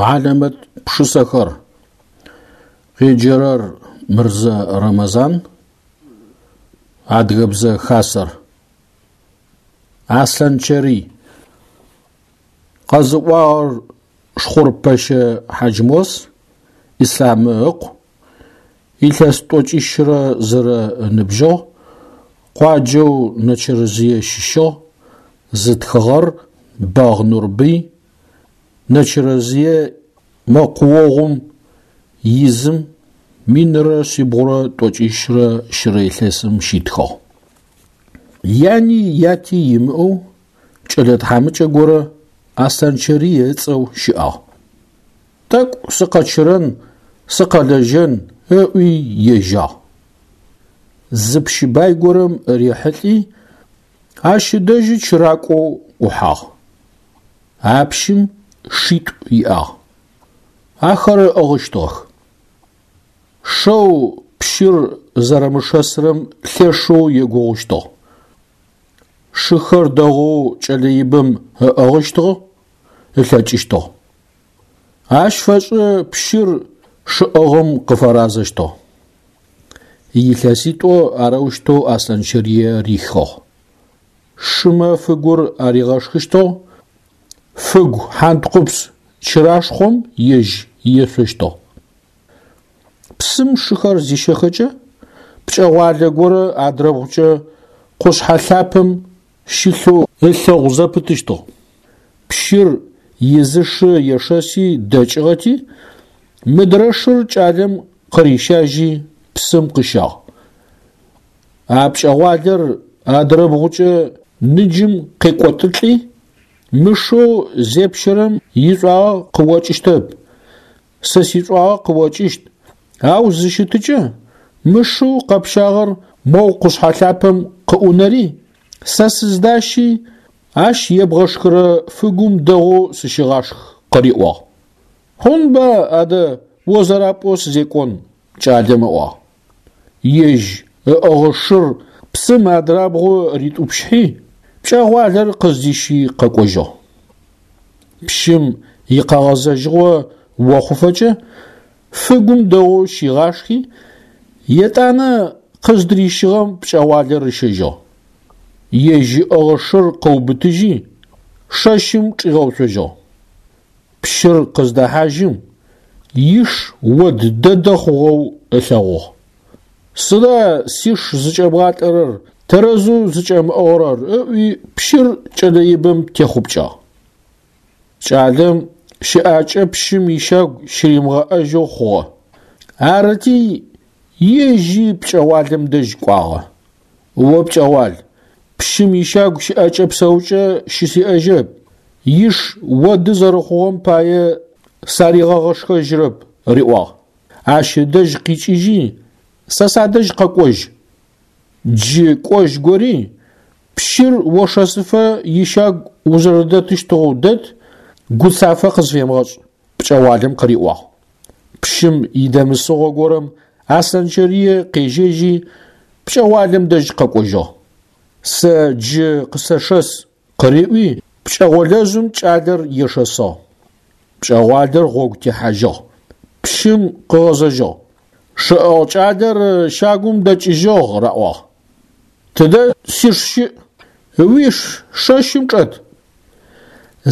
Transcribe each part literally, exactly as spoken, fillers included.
Хьалэмэт пшысэхэр. Къеджэрэр Мырзэ Рэмэзан, Адыгэбзэ Хасэр. Аслъанчэрый. Къэзыӏуагъэр Шхъурпэщэ Хьаджмос, Ислъамы ыкъу, илъэс тӏокӏищрэ зырэ ыныбжьыгъ, къуаджэу Нэчэрэзые щыщыгъ, зытхыгъэр Бэгъ Нурбый, Нэчэрэзые мэкъуогъум изым минрэ шъибгъурэ тӏокӏищрэ щырэ илъэсым щитхыгъ. Яни яти имыӏэу кӏэлэ тхьамыкӏэ горэ Аслъанчэрый ыцӏэу щыӏагъ. Тӏэкӏу сыкъэчырэн, сыкъэлэжьэн ыӏуи ежьагъ. Зы пщы бай горэм рихьылӏи, ащ ыдэжьы чыракӏоу ӏухьагъ. А пщым шитӏу иӏагъ. Ахэр ыӏыгъыщтыгъэх. Шэу пщыр зэрэмышэсырэм лъэшэу егугъущтыгъ. Шыхэр дэгъоу кӏэлэ ибэм ыӏыгъыщтыгъ, ылъэкӏыщтыгъ. Ащ фэшӏы пщыр шыӏыгъым къыфэразэщтыгъ. Илъэситӏо арэущтэу Аслъанчэрые рихыгъ. Шымэ фыгур аригъэшхыщтыгъ, фыгу хьанткъупс чырашхъом ежь ешъощтыгъ. Псым шыхэр зищэхэкӏэ, пкӏэгъуалэ горэ адрэбгъукӏэ къушъхьэ лъапэм щылъэу ылъэгъу зэпытыщтыгъ. Пщыр изы шы ешэси дэкӏыгъэти, мыдрэ шыр кӏалэм къырищажьи псым къыщагъ. А пкӏэгъуалэр адрэбгъукӏэ ныджым къекӏотылӏи, мы шэу зепщэрэм ишӏуагъэ къыокӏыщтэп, сэ сишӏуагъэ къыокӏыщт, ау зыщытыкӏэ мы шэу къэпщагъэр моу къушъхьэ лъапэм къыӏунэри, сэ сыздащи, ащ ебгъэшхырэ фыгум дэгъоу сыщыгъашх къыриӏуагъ. Хъунба адэ о зэрапӏоу сызекӏон, кӏалэм ыӏуагъ. Ежь ыӏыгъы шыр псым адрабгъу ритӏупщхьи, пкӏэгъуалэр къыздищи къэкӏожьыгъ. Пщым икъэгъэзэжьыгъо охъуфэкӏэ фыгум дэгъоу щигъашхи, етӏанэ къыздырищыгъэм пкӏэгъуалэр ыщэжьыгъ. Ежь ыӏыгъы шыр къыубытыжьи, шэщым чӏигъэуцожьыгъ. Пщыр къыздэхьажьым, иш од дэдэ хъугъэу ылъэгъугъ. Сыда сиш зыкӏэбгъалӏэрэр, тэрэзэу зыкӏэмыӏыгъырэр ыӏуи пщыр кӏэлэ ибэм техъупкӏагъ. Кӏалэм щыӏакӏэ пщым ищагу щыримыгъэӏэжьэу хъугъэ. Арыти ежьи пкӏэгъуалэм дэжь кӏуагъэ. О пкӏэгъуал, пщым ищагу щыӏэкӏэ псэукӏэ щысиӏэжьэп, иш оды зэрэхъугъэм пае саригъэгъэшхэжьырэп, риӏуагъ. Ащ ыдэжь къикӏыжьи, сэ садэжь къэкӏожь. Джы кӏожь гори, пщыр ошэсыфэ ищагу узэрэдэтыщтыгъэу дэт, гуцафэ къызфемыгъэшӏ, пкӏэгъуалэм къыриӏуагъ. Пщым идэмысыгъо горэм Аслъанчэрые къежьэжьи, пкӏэгъуалэм дэжь къэкӏожьыгъ. Сэ джы къысэшэс къыриӏуи, пкӏэгъолэжъым кӏалэр ешэсыгъ. Пкӏэгъуалэр гъогу техьажьыгъ. Пщым къыгъэзэжьыгъ. Шыӏыгъ кӏалэр щагум дэкӏыжьыгъ раӏуагъ. Тыдэ сиш щыӏ? Уиш шэщым чӏэт.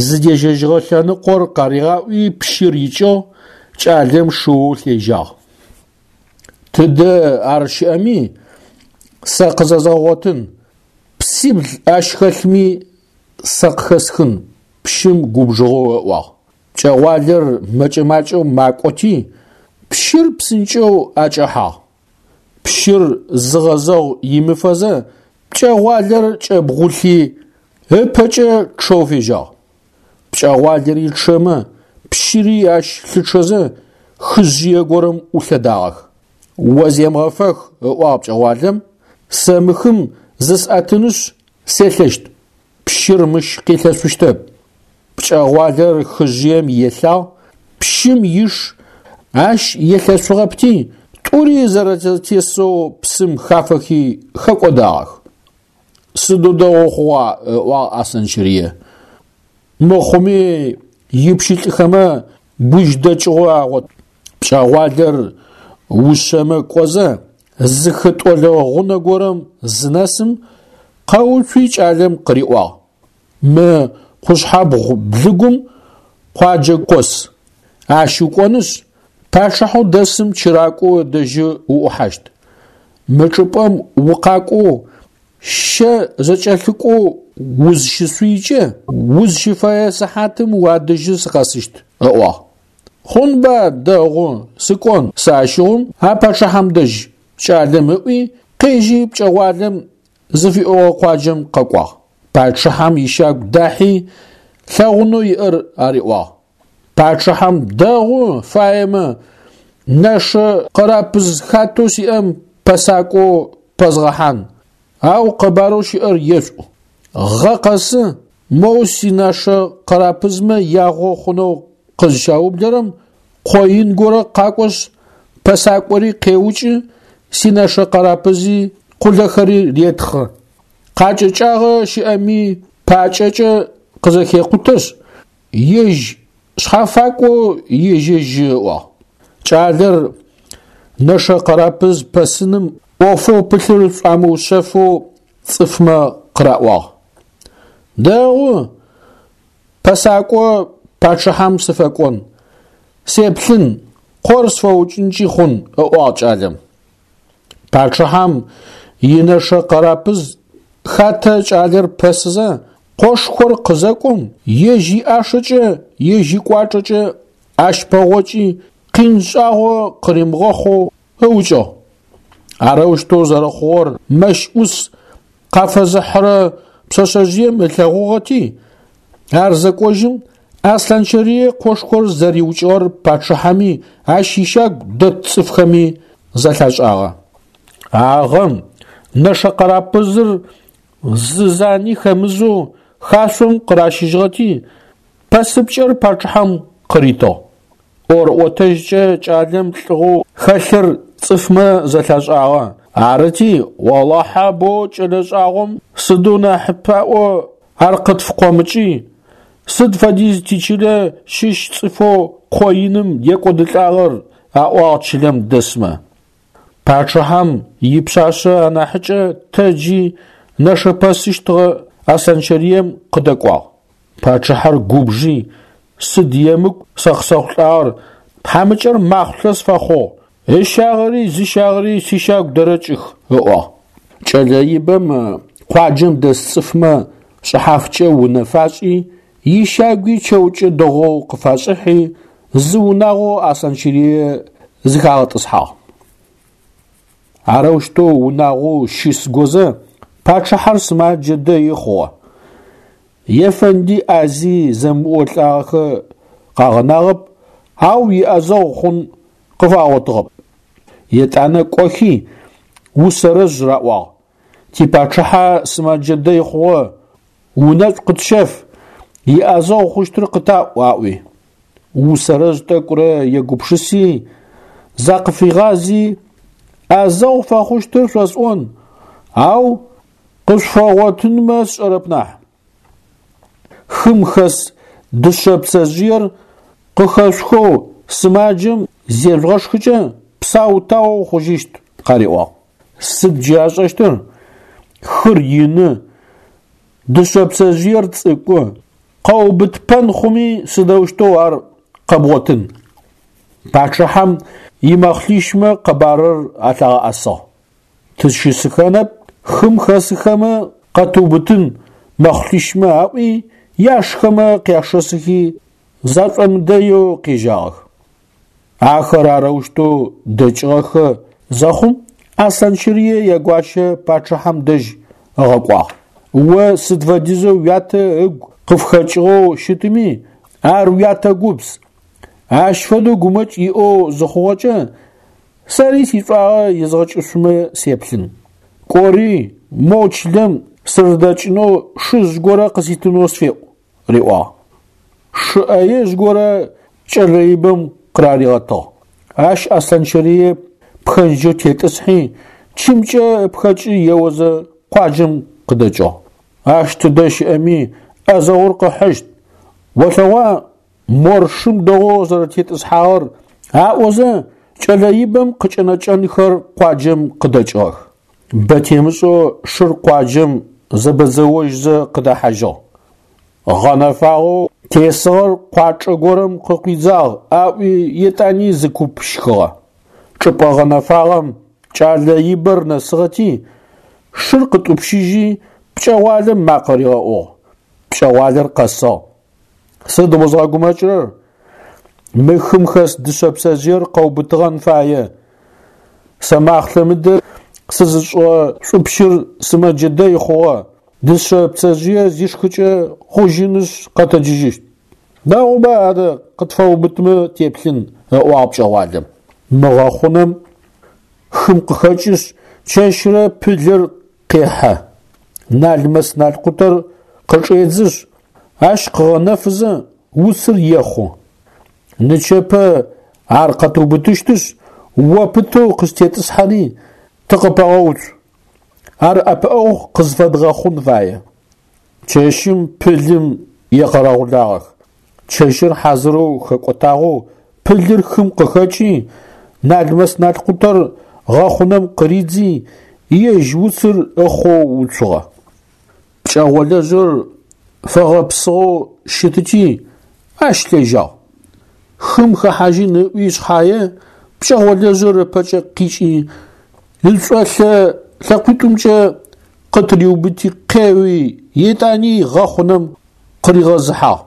Зыдежьэжьыгъэ лъэныкъор къаригъаӏуи пщыр икӏыгъ, кӏалэм шыоу лъежьагъ. Тыдэ ар щыӏэми сэ къызэзгъэгъотын, псибл ащ хэлъми сэ къыхэсхын, пщым губжыгъэу ыӏуагъ. Пкӏэгъуалэр мэкӏэ-макӏэу макӏоти, пщыр псынкӏэу акӏэхьагъ. Пщыр зыгъэзэгъу имыфэзэ пкӏэгъуалэр кӏэбгъулъи ыпэкӏэ чъэу фежьагъ. Пкӏэгъуалэри чъэмэ, пщыри ащ лъычъэзэ хыжъые горэм ӏулъэдагъэх. О земгъэфэх, ыӏуагъ пкӏэгъуалэм, сэ мы хым зысӏэтынышъ селъэщт, пщыр мыщ къилъэшъущтэп. Пкӏэгъуалэр хыжъыем елъагъ, пщым иш ащ елъэшъугъэпти, тӏури зэрэзэтесэу псым хафэхи хэкӏодагъэх. Сыдэу дэгъоу хъугъа, ыӏуагъ Аслъанчэрые. Мыхъуми ипщылӏхэмэ гужьдэкӏыгъо агъот. Пкӏэгъуалэр ушъэмэ кӏозэ, зы хытӏолэ гъунэ горэм зынэсым, къэуцуи кӏалэм къыриӏуагъ: Мы къушъхьэбгъу блыгум къуаджэ къос, ащ укӏонышъ, пачъыхьэу дэсым чыракӏо ыдэжьы уӏухьащт. Мы чӏыпӏэм укъакӏоу щэ зэкӏэлъыкӏоу узщысшъуйкӏэ, узщыфэе сыхьатым уадэжьы сыкъэсыщт, ыӏуагъ. Хъунба, дэгъу, сыкӏон сэ ащыгъум а пачъыхьэм дэжь, кӏалэм ыӏуи, къежьи пкӏэгъуалэм зыфиӏогъэ къуаджэм къэкӏуагъ. Пачъыхьэм ищагу дахьи, лъэгъунэу иӏэр ариӏуагъ. Пачъыхьэм дэгъу фаемэ, нэшэ къэрапыз хатэу сиӏэм пэсакӏо пэзгъэхьан, ау къэбарэу щыӏэр ешӏу. Гъэ къэсы моу синэшэ къэрапызмэ ягъо хъунэу къызщаублэрэм къо ин горэ къакӏошъ пэсакӏори къеукӏы, синэшэ къэрапызи къулэхэри ретхъы. Къакӏэкӏагъэ щыӏэми пакӏэкӏэ къызэхекъутэшъ, ежь шъхьафакӏоу ежьэжьы ыӏуагъ. Кӏалэр нэшэ къэрапыз пэсыным ӏофэу пылъыр шӏуамыушъэфэу цӏыфмэ къыраӏуагъ. Дэгъу, пэсакӏо пачъыхьэм сыфэкӏон, сеплъын, къор сфэукӏынкӏи хъун, ыӏуагъ кӏалэм. Пачъыхьэм инэшэ къэрапыз хатэ кӏалэр пэсызэ, къошхор къызэкӏом, ежь иӏашэкӏэ, ежь икӏуачӏэкӏэ ащ пэгъокӏи, къин шӏагъо къыримыгъэхъоу ыукӏыгъ. Арэущтэу зэрэхъугъэр мэщ ӏус къафэзыхьырэ пшъэшъэжъыем ылъэгъугъэти, ар зэкӏожьым Аслъанчэрые къошхор зэриукӏыгъэр пачъыхьэми ащ ищагу дэт цӏыфхэми зэлъашӏагъэ. А гъэм нэшэ къэрапызыр зы зани хэмызэу хашъом къыращыжьыгъэти, пэсыпкӏэр пачъыхьэм къыритыгъ. ӏорӏотэжькӏэ кӏалэм лӏыгъэу хэлъыр цӏыфмэ зэлъашӏагъэ. Арыти, олахьэ бо кӏэлэ шӏагъом сыдэу нахьыпаӏо ар къытфыкъомыкӏи, сыд фэдиз тичылэ щыщ цӏыфэу къо иным екӏодылӏагъэр, аӏуагъ чылэм дэсмэ. Пачъыхьэм ипшъашъэ анахьыкӏэ тэджи нэшэпэсыщтыгъэ Аслъанчэрыем къыдэкӏуагъ. Пачъыхьэр губжи, сыд емыкӏу сэ къысэхъулӏагъэр, тхьамыкӏэр махъулъэ сфэхъугъ, ыщагъэри зыщагъэри сищагу дэрэкӏых, ыӏуагъ. Кӏэлэ ибэм къуаджэм дэс цӏыфмэ шӏыхьафкӏэ унэ фашӏи, ищагуи чэукӏэ дэгъоу къыфашӏыхьи, зы унагъоу Аслъанчэрые зыхагъэтӏысхьагъ. Арэущтэу унагъоу щыс гозэ пачъыхьэр сымаджэ дэи хъугъэ. Ефэнди ӏази зэмыӏолӏагъэхэ къагъэнагъэп, ау иӏэзэгъу хъун къыфагъотыгъэп. Етӏанэ кӏохи усэрэжъ раӏуагъ: Типачъыхьэ сымэджэ дэй хъугъэ, унэшӏу къытщэф, иӏэзэгъу хъущтыр къытаӏу, аӏуи. Усэрэжъ тӏэкӏурэ егупшыси, закъыфигъази, ӏэзэгъу фэхъущтыр шъосӏон, ау къышъуфэгъотынмэ сшӏэрэп нахь. Хым хэс дышъэ пцэжъыер къыхэшъухэу сымаджэм зежъугъэшхыкӏэ псау-таоу хъужьыщт, къариӏуагъ. Сыд джы ашӏэщтыр? Хыр ины, дышъэ пцэжъыер цӏыкӏу, къэубытыпэн хъуми сыдэущтэу ар къэбгъотын? Пачъыхьэм имэхълъищмэ къэбарыр алъагъэӏэсыгъ. Тызщысыхэнэп, хым хэсыхэмэ къэтыубытын мэхълъищмэ аӏуи, яшхэмэ къяшэсыхи, зашӏомыдэеу къежьагъэх. Ахэр арэущтэу дэкӏыгъэхэ зэхъум Аслъанчэрые ягуащэ пачъыхьэм дэжь ыгъэкӏуагъ. О сыд фэдизэу уятэ ыгу къыфхэкӏыгъэу щытми, ар уятэ гупс. Ащ фэдэу гумэкӏ иӏэу зыхъугъэкӏэ, сэри сишӏуагъэ езгъэкӏышъумэ сеплъын. Кӏори, моу чылэм сырыдэкӏынэу шыжъ горэ къыситынэу сфеӏу, риӏуагъ. Шы ӏэежъ горэ кӏэлэ ибэм къыраригъэтыгъ. Ащ Аслъанчэрые пхэнджэу тетӏысхьи, чымкӏэ ыпхэкӏы еозэ къуаджэм къыдэкӏыгъ. Ащ тыдэ щыӏэми ӏэзэгъур къыхьыщт. Олъэгъуа Мор шым дэгъоу зэрэтетӏысхьагъэр аӏозэ кӏэлэ ибэм къыкӏэнэкӏэнхэр къуаджэм къыдэкӏыгъэх. Бэ темышӏэу шыр къуаджэм зэбэдзэожьзэ къыдэхьажьыгъ. Гъэнэфагъэу тесыгъэр къуачӏэ горэм къыкъуидзагъ аӏуи етӏани зы куп щхыгъэ. Чӏыпӏэ гъэнэфагъэм кӏэлэ ибэр нэсыгъэти, шыр къытӏупщыжьи пкӏэгъуалэм макъэ ригъэӏугъ. Пкӏэгъуалэр къэсыгъ. Сыд узгъэгумэкӏырэр? Мы хым хэс дышъэ пцэжъыер къэубытыгъэн фае. Сэ махълъэ мыдэ сызышӏыгъэ шӏупщыр сымэджэ дэй хъугъэ. Дышъэ пцэжъые зишхыкӏэ хъужьынышъ къэтэджыжьыщт. Дэгъуба адэ къытфэубытмэ теплъын, ыӏуагъ пкӏэгъуалэм. Мы гъэхъунэм хым къыхэкӏышъ чэщрэ пылыр къехьэ. Налмэс-налкъутэр къычӏедзышъ, ащ къыгъэнэфызэ уцыр ехъу. Нычэпэ ар къэтыубытыщтышъ, о пытэу къызтетӏысхьэри тыкъыпэгъэуцу. Ар ӏэпыӏэгъу къызфэдгъэхъун фае. Чэщым пылым екъэрэгъулагъэх. Чэщыр хьазырэу хэкӏотагъэу пылыр хым къыхэкӏи, налмэс-налкъутэр гъэхъунэм къыридзи, ежь уцыр ыхъоу уцугъэ. Пкӏэгъолэжъыр фэгъэпсыгъэу щытыти, ащ лъежьагъ. Хым хэхьажьын ыӏуи шъхьае, пкӏэгъолэжъыр ыпэкӏэ къикӏи, ышӏолъэ лъэкъуитӏумкӏэ къытыриубыти къеуи, етӏани гъэхъунэм къыригъэзыхьагъ.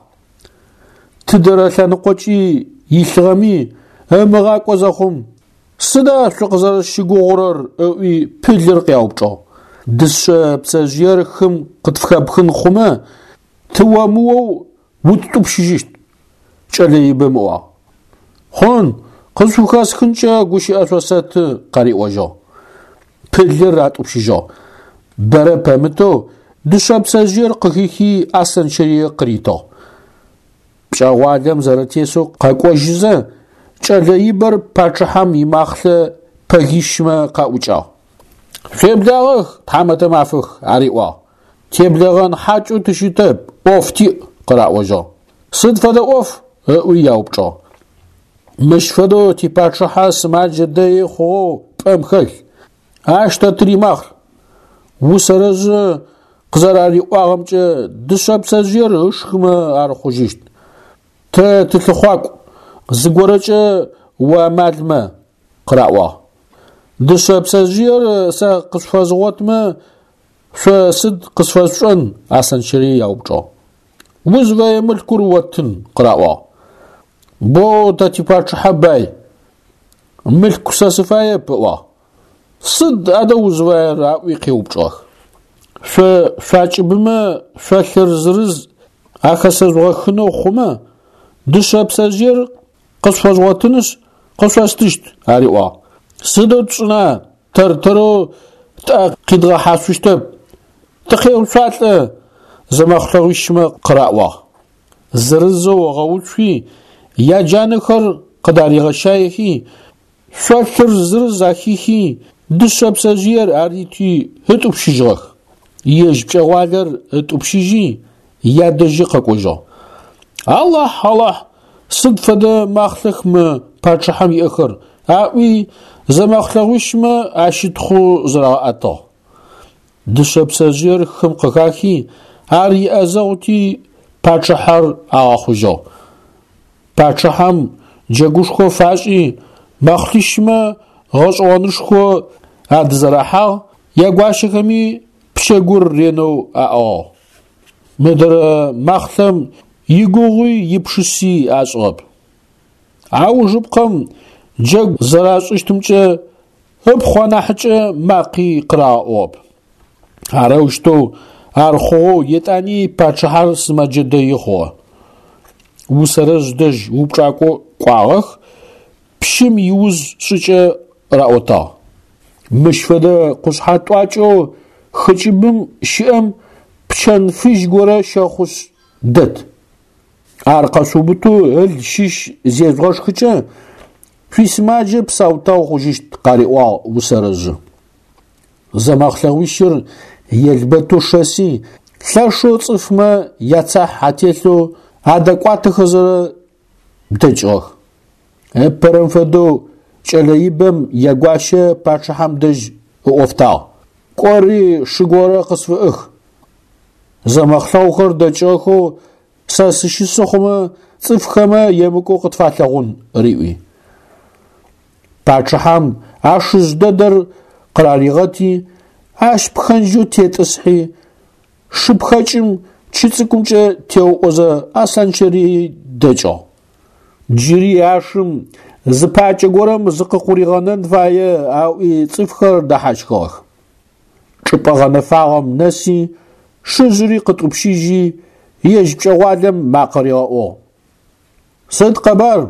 Тыдэрэ лъэныкъокӏи илъыгъэми ымыгъакӏо зэхъум, сыда шъукъызэрэсщыгугъурэр ыӏуи пылыр къяупчӏыгъ. Дышъэ пцэжъыер хым къытфхэпхын хъумэ, тыомыоу уттӏупщыжьыщт, кӏэлэ ибэм ыӏуагъ. Хъун, къызшъухэсхынкӏэ гущыӏэ шъосэты, къариӏожьыгъ. Пылыр атӏупщыжьыгъ. Бэрэ пэмытэу дышъэ пцэжъыер къыхихи Аслъанчэрые къыритыгъ. Пкӏэгъуалэм зэрэтесэу къэкӏожьызэ, кӏэлэ ибэр пачъыхьэм имахълъэ пэгищмэ къаӏукӏагъ. Шъуеблагъэх, тхьамэтэ мафэх, ариӏуагъ. Теблэгъэн хьакӏэу тыщытэп, ӏоф тиӏ, къыраӏожьыгъ. Сыд фэдэ ӏоф? Ыӏуи яупчӏыгъ. Мыщ фэдэу типачъыхьэ сымаджэ дэи хъугъэу пӏэм хэлъ. Ащ тэ тыримахълъ. Усэрэжъы къызэрариӏуагъэмкӏэ дышъэ пцэжъыер ышхымэ ар хъужьыщт. Тэ тылъыхъуакӏу, зыгорэкӏэ уамалмэ, къыраӏуагъ. Дышъэ пцэжъыер сэ къышъуфэзгъотмэ, шъо сыд къысфэшъушӏэн? Аслъанчэрые яупчӏыгъ. Узфэе мылъкур оттын, къыраӏуагъ. Боу тэ типачъыхьэ бай. Мылъку сэ сыфаеп, ыӏуагъ. Сыд адэ узфаер? Аӏуи къеупчӏыгъэх. Шъо шъуакӏыбымэ шъолъыр зырыз ахэсэжъугъэхынэу хъумэ, дышъэ пцэжъыер къышъуфэзгъотынышъ къышъостыщт, ариӏуагъ. Сыдэу тшӏына, тэр-тэрэу тӏэ къидгъэхьашъущтэп, тыкъеуцуалӏэ, зэмэхълъэгъуищмэ къыраӏуагъ. Зырызэу ыгъэуцуи, яджанэхэр къыдаригъэщаехи, шъолъыр зырыз ахихи, дышъэ пцэжъыер арити ытӏупщыжьыгъэх. Ежь пкӏэгъуалэр ытӏупщыжьи, ядэжьы къэкӏожьыгъ. Алахь, Алахь, сыд фэдэ махълъэх мы пачъыхьэм иӏэхэр, аӏуи зэмэхълъэгъуищмэ ащытхъу зырагъэӏэтыгъ. Дышъэ пцэжъыер хым къыхахи, ар иӏэзэгъути пачъыхьэр агъэхъужьыгъ. Пачъыхьэм джэгушхо фашӏи, мэхълъищмэ гъэшӏэгъонышхо адызэрахьагъ, ягуащэхэми пчэгур ренэу аӏыгъыгъ. Мыдрэ махълъэм игугъуи ипшыси ашӏыгъэп. Аужыпкъэм джэгу зэрашӏыщтымкӏэ ыпхъу анахьыкӏэ макъи къырагъэӏугъэп. Арэущтэу ар хъугъэу етӏани пачъыхьэр сымэджэ дэи хъугъэ. Усэрэжъ дэжь упчӏакӏо кӏуагъэх, пщым иуз шӏыкӏэ раӏотагъ. Мыщ фэдэ къушъхьэ тӏуакӏэу хыкӏыбым щыӏэм пчэн фыжь горэ щэхъушъ дэт. Ар къэшъуубытэу ыл щыщ зежъугъэшхыкӏэ, шъуисымаджэ псау-тау хъужьыщт, къариӏуагъ усэрэжъы. Зэмэхълъэгъуищыр елбэтэу шэси, лъэшэу цӏыфмэ яцахь ателъэу адэкӏуатэхэзэрэ дэкӏыгъэх. Ыпэрэм фэдэу кӏэлэ ибэм ягуащэ пачъыхьэм дэжь ыӏофтагъ: «Кӏори шы горэ къысфыӏых. Зэмэхълъэгъухэр дэкӏыгъэхэу сэ сыщысы хъумэ цӏыфхэмэ емыкӏу къытфалъэгъун», – риӏуи. Пачъыхьэм а шыжъ дэдэр къыраригъэти, ащ пхэнджэу тетӏысхьи, шыпхэкӏым чы цӏыкӏумкӏэ теуӏозэ Аслъанчэрые дэкӏыгъ. Джыри а шым зы пакӏэ горэм зыкъыкъуригъэнэн фае аӏуи цӏыфхэр дэхьащхыгъэх. Чӏыпӏэ гъэнэфагъэм нэси, шыжъыри къытӏупщыжьи, ежь пкӏэгъуалэм макъэ ригъэӏугъ: «Сыд къэбар?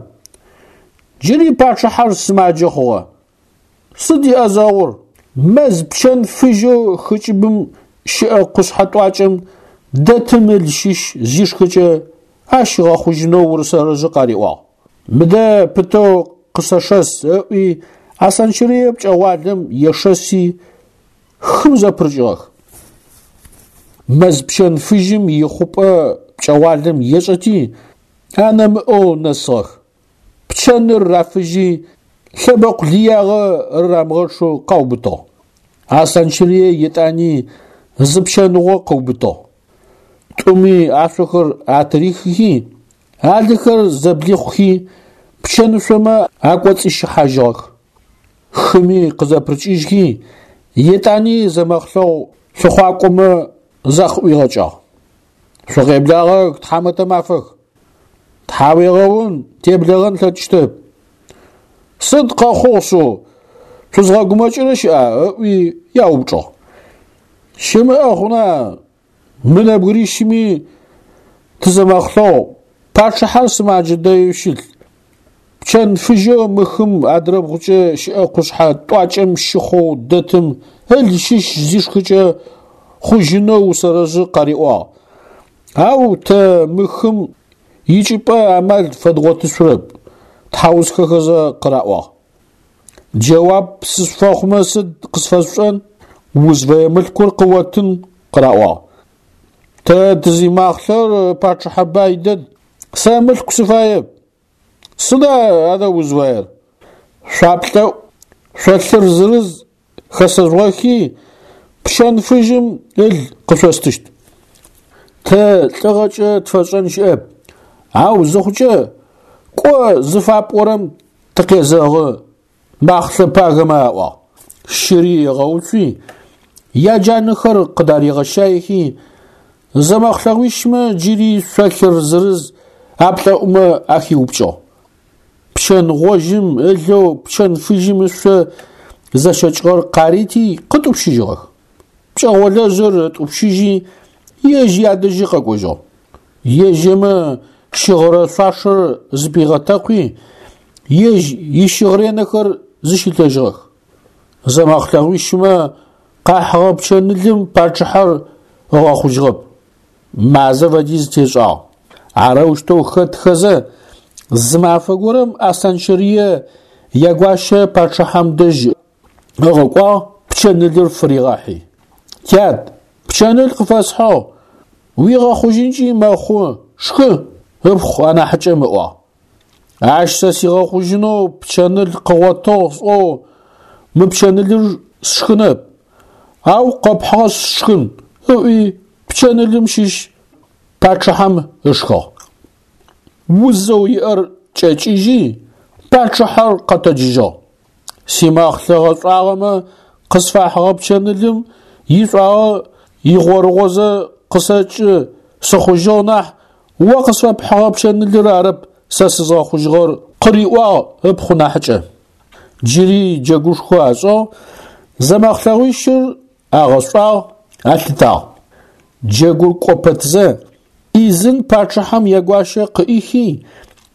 Джыри пачъыхьэр сымаджэ хъугъэ. Сыд иӏэзэгъур? Мэз пчэн фыжьэу хы кӏыбым щыӏэ къушъхьэ тӏуакӏэм дэтым ыл щыщ зишхыкӏэ ащ ыгъэхъужьынэу урысэрэжъы къариӏуагъ. Мыдэ пытэу къысэшэс», – ыӏуи Аслъанчэрые пкӏэгъуалэм ешэси, хым зэпырыкӏыгъэх. Мэз пчэн фыжьым ихъупӏэ пкӏэгъуалэм ешӏэти, анэмыӏэу нэсыгъэх. Пчэныр рафыжьи, лъэбэкъу лыягъэ рырамыгъэчъэу къаубытыгъ. Аслъанчэрые етӏани зы пчэныгъо къыубытыгъ. Тӏуми ашъохэр атырихыхи, алыхэр зэблихъухи, пчэнышъомэ акӏоцӏищыхьажьыгъэх. Хыми къызэпырыкӏыжьхи, етӏани зэмэхълъэгъу лъыхъуакӏомэ закъыӏуигъэкӏагъ. «Шъукъеблагъэх, тхьамэтэ мафэх! Тхьауегъэун, теблэгъэн тлъэкӏыщтэп. Сыд къэхъугъ шъыу, шъузгъэгумэкӏырэ щыӏа?» – ыӏуи яупчӏыгъ. «Щымыӏэ хъуна, мы нэбгырищыми тызэмэхълъэгъу, пачъыхьэр сымаджэ дэеу щылъ. Пчэн фыжьэу мы хым адрэбгъукӏэ щыӏэ къушъхьэ тӏуакӏэм щыхъоу дэтым ыл щыщ зишхыкӏэ хъужьынэу усэрэжъы къариӏуагъ. Ау тэ мы хым икӏыпӏэ амал фэдгъотышъурэп», – тхьаусхэхэзэ къыраӏуагъ. «Джэуап сышъуфэхъумэ сыд къысфэшъушӏэн? Узфэе мылъкур къыоттын», – къыраӏуагъ. «Тэ тызимахълъэр пачъыхьэ бай дэд, сэ мылъку сыфаеп. Сыда адэ узфаер? Шъуаплӏэӏу шъолъыр зырыз хэсэжъугъэхи, пчэн фыжьым ыл къышъостыщт. Тэ лӏыгъэкӏэ тфэшӏэн щыӏэп, ау зыхъукӏэ кӏо зыфапӏорэм тыкъезэгъы», – махълъэ пагэмэ аӏуагъ. Щыри ыгъэуцуи, яджанэхэр къыдаригъэщаехи, зэмэхълъэгъуищмэ джыри шъолъыр зырыз аплӏэӏумэ ахиупкӏыгъ. Пчэн гъожьым ылэу пчэн фыжьым ышъо зэщэкӏыгъэр къарити къытӏупщыжьыгъэх. Пкӏэгъолэжъыр ытӏупщыжьи, ежь ядэжьи къэкӏожьыгъ. Ежьэмэ щыгъырэ шъуашэр зыпигъэтэкъуи, ежь ищыгъыренэхэр зыщилъэжьыгъэх. Зэмэхълъэгъуищмэ къахьыгъэ пчэнылым пачъыхьэр ыгъэхъужьыгъэп. Мазэ фэдиз тешӏагъ. Арэущтэу хэтхэзэ, зы мафэ горэм Аслъанчэрые ягуащэ пачъыхьэм дэжь ыгъэкӏуагъ пчэнылыр фыригъэхьи. «Тят, пчэныл къыфэсхьыгъ, уигъэхъужьынкӏи мэхъу, шхы», – ыпхъу анахьыкӏэм ыӏуагъ. «Ащ сэ сигъэхъужьынэу пчэныл къыгъотыгъ сӏоу мы пчэнылыр сшхынэп, ау къэпхьыгъэр сшхын», – ыӏуи пчэнылым щыщ пачъыхьэм ышхыгъ. Узэу иӏэр кӏэкӏыжьи, пачъыхьэр къэтэджыжьыгъ. «Симэхълъэ гъэшӏуагъэмэ къысфахьыгъэ пчэнылым ишӏуагъэ игъорыгъозэ къысэкӏы сыхъужьыгъ нахь, о къысфэпхьыгъэ пчэнылыр арэп сэ сызгъэхъужьыгъэр», – къыриӏуагъ ыпхъу нахьыкӏэ. Джыри джэгушхо ашӏыгъ, зэмэхълъэгъуищыр агъэшӏуагъ, алъытагъ. Джэгур кӏо пэтзэ, ӏизын пачъыхьэм ягуащэ къыӏихи,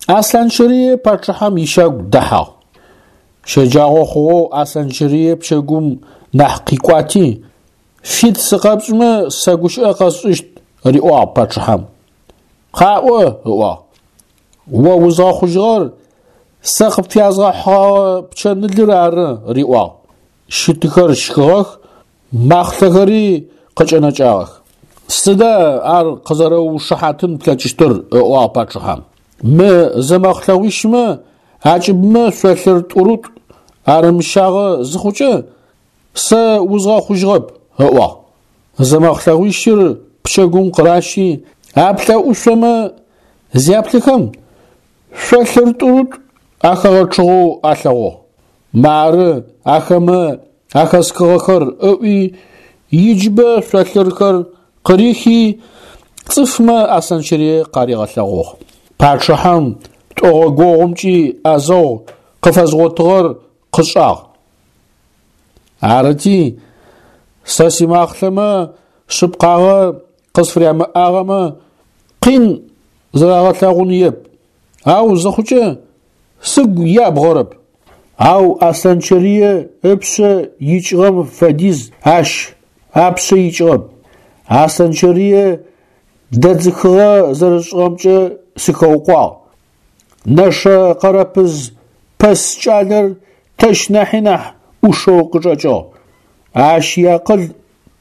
Аслъанчэрые пачъыхьэм ищагу дэхьагъ. Щэджагъо хъугъэу Аслъанчэрые пчэгум нахь къикӏуати, «Фит сыкъэпшӏымэ сэ гущыӏэ къэсшӏыщт», – риӏуагъ пачъыхьэм. «Къаӏо», – ыӏуагъ. «О узгъэхъужьыгъэр сэ къыпфязгъэхьыгъэгъэ пчэнылыр ары», – риӏуагъ. Щытыхэр щхыгъэх, махълъэхэри къыкӏэнэкӏагъэх. «Сыда ар къызэрэуушыхьатын плъэкӏыщтыр?» – ыӏуагъ пачъыхьэм. Мы зэмэхълъэгъуищмэ акӏыбмэ шъолъыр тӏурытӏу арымыщагъэ зыхъукӏэ, сэ узгъэхъужьыгъэп, ыӏуагъ. Зэмэхълъэгъуищыр пчэгум къыращи, аплӏэӏушъомэ зяплъыхэм, шъолъыр тӏурытӏу ахэгъэчъыгъэу алъэгъугъ. Мары ахэмэ ахэсхыгъэхэр ыӏуи, иджыбэ шъолъырхэр къырихи, цӏыфмэ Аслъанчэрые къаригъэлъэгъугъ. Пачъыхьэм тӏогъогогъумкӏи ӏэзэгъу къыфэзгъотыгъэр къышӏагъ. Арыти, сэ симахълъэмэ шъыпкъагъэ къысфырямыӏагъэмэ, къин зэрагъэлъэгъуныеп, ау зыхъукӏэ сыгу ябгъэрэп. Ау Аслъанчэрые ыпшъэ икӏыгъэм фэдиз ащ апшъэ икӏыгъэп. Аслъанчэрые дэдзыхыгъэ зэрысшӏыгъэмкӏэ сыхэукъуагъ. Нэшэ Къэрэпыз пэс кӏалэр тэщ нахьи нахь ӏушэу къычӏэкӏыгъ. Ащ иакъыл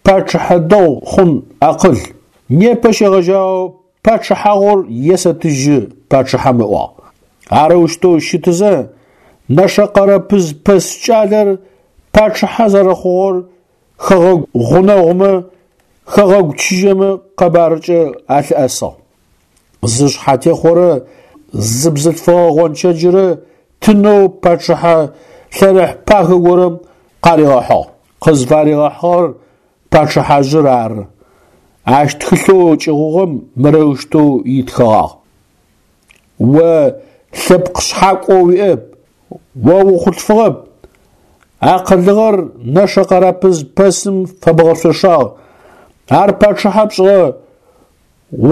пачъыхьэ дэгъу хъун акъыл. Непэ щегъэжьагъэу пачъыхьагъур есэтыжьы пачъыхьэм ыӏуагъ. Арэущтэу щытызэ, Нэшэ Къэрэпыз пэс кӏалэр пачъыхьэ зэрэхъугъэр хэгъэгу гъунэгъумэ, хэгъэгу чыжьэмэ къэбарыкӏэ алъыӏэсыгъ. Зы шъхьатехъорэ зы бзылъфыгъэ гъончэджрэ тынэу пачъыхьэ лъэрыхь пагэ горэм къаригъэхьыгъ. Къызфаригъэхьыгъэр пачъыхьажъыр ары. Ащ тхылъэу кӏыгъугъэм мырэущтэу итхыгъагъ: О лъэпкъ шъхьакӏо уиӏэп, о ухъулъфыгъэп, акъылыгъэр Нэшэ Къэрэпыз пэсым фэбгъэшъошагъ, ар пачъыхьэ пшӏыгъэ,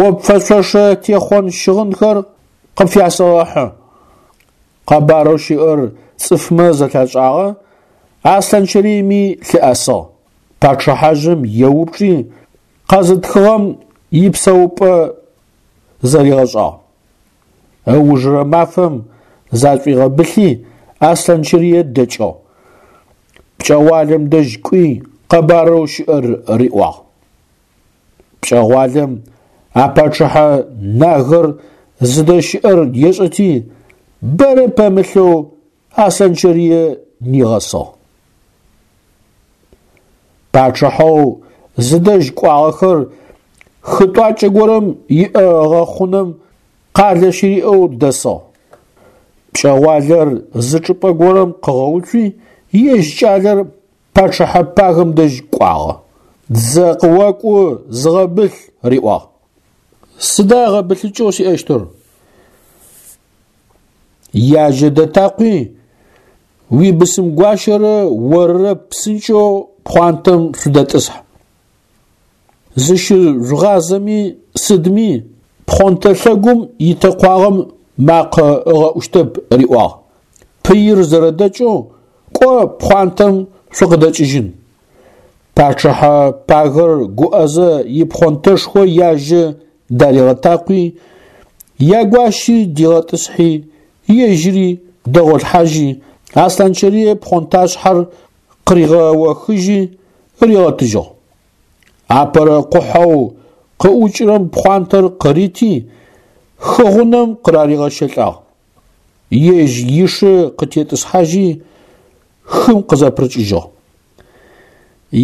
о пфэшъошэ техъон щыгъынхэр къыпфясэгъэхьы. Къэбарэу щыӏэр цӏыфмэ зэлъашӏагъэ, Аслъанчэрыеми лъыӏэсыгъ. Пачъыхьажъым еупчӏи, къэзытхыгъэм ипсэупӏэ зэригъэшӏагъ. Ыужырэ мафэм зашӏуигъэбылъи Аслъанчэрые дэкӏыгъ. Пкӏэгъуалэм дэжь кӏуи къэбарэу щыӏэр риӏуагъ. Пкӏэгъуалэм а пачъыхьэ нагэр зыдэщыӏэр ешӏэти, бэрэ пэмылъэу Аслъанчэрые нигъэсыгъ. Пачъыхьэу зыдэжь кӏуагъэхэр хы тӏуакӏэ горэм иӏэ гъэхъунэм къалэ щыриӏэу дэсыгъ. Пкӏэгъуалэр зы чӏыпӏэ горэм къыгъэуцуи, ежь кӏалэр пачъыхьэ пагэм дэжь кӏуагъэ. Дзэ къыокӏу, зыгъэбылъ, риӏуагъ. Сыда гъэбылъыкӏэу сиӏэщтыр? Яжьэ дэтакъуи, уибысым гуащэрэ орырэ псынкӏэу пхъуантэм шъудэтӏысхь. Зыщыжъугъазэми сыдми пхъонтэ лъэгум итэкъуагъэм макъэ ыгъэӏущтэп, риӏуагъ. Пыир зэрэдэкӏэу кӏо пхъуантэм шъукъыдэкӏыжьын. Пачъыхьэ пагэр гуӏэзэ ипхъонтэшхо яжьэ даригъэтакъуи, ягуащи дигъэтӏысхьи, ежьыри дэгъолъхьажьи, Аслъанчэрые пхъонташъхьэр къыригъэохыжьи ригъэтыжьыгъ. Апэрэ къухьэу къыӏукӏырэм пхъуантэр къырити, хы гъунэм къыраригъэщэлӏагъ. Ежь ишы къытетӏысхьажьи, хым къызэпырыкӏыжьыгъ.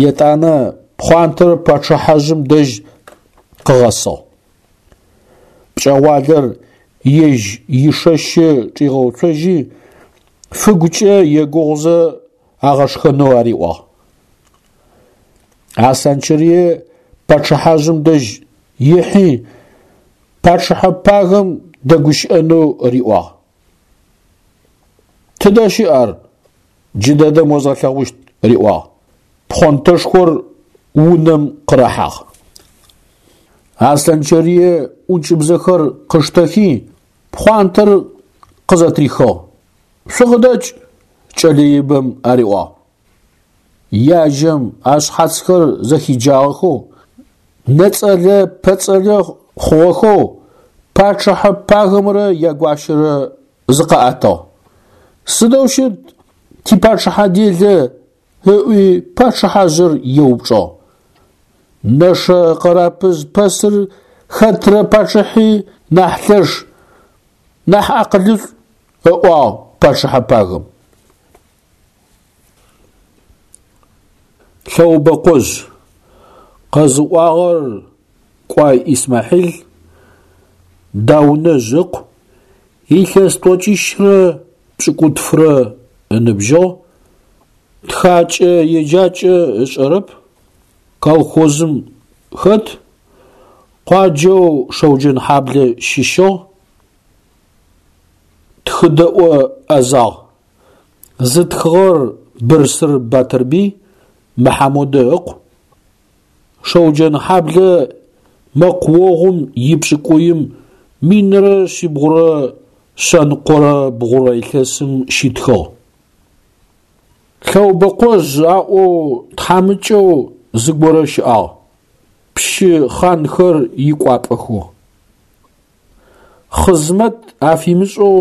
Етӏанэ пхъуантэр пачъыхьажъым дэжь къыгъэсыгъ. Пкӏэгъуалэр ежь ишэщы чӏигъэуцожьи, фыгукӏэ егугъузэ агъэшхэнэу ариӏуагъ. Аслъанчэрые пачъыхьажъым дэжь ихьи, пачъыхьэ пагэм дэгущыӏэнэу риӏуагъ. Тыдэ щыӏ ар? Джыдэдэм озгъэлъэгъущт, риӏуагъ. Пхъонтэшхор унэм къырахьагъ. Аслъанчэрые ӏункӏыбзэхэр къыштэхи, пхъуантэр къызэтрихыгъ. Шъукъыдэкӏ, кӏэлэ ибэм ариӏуагъ. Яжьэм ашъхьацхэр зэхиджагъэхэу, нэцӏэлэ-пэцӏэлэ хъугъэхэу пачъыхьэ пагэмрэ ягуащэрэ зыкъаӏэтыгъ. Сыдэу щыт типачъыхьэ делэ, ыӏуи пачъыхьажъыр еупчӏыгъ. Нэшэ Къэрэпыз пэсыр хэтрэ пачъыхьи нахь лъэш, Нахь акъылышӏу, ыӏуагъ пачъыхьэ пагэм. Лъэубэкъожь къэзыӏуагъэр Кӏуай Исмахьил, Даунэжъ ыкъу, илъэс тӏокӏищрэ пшӏыкӏутфырэ ыныбжьыгъ, тхакӏэ-еджакӏэ ышӏэрэп, колхозым хэт, къуаджэу Шэуджэнхьаблэ щыщыгъ, тхыдэӏо ӏэзагъ. Зытхыгъэр Бырсыр Батырбый Мыхьамодэ ыкъу. Шэуджэнхьаблэ мэкъуогъум ипшӏыкӏуим минрэ шъибгъурэ шъэныкъорэ бгъурэ илъэсым щитхыгъ. Лъэубэкъожъ аӏоу тхьамыкӏэу зыгорэ щыӏагъ, пщы хъанхэр икӏуапӏэхэу. Хъызмэт афимышӏэу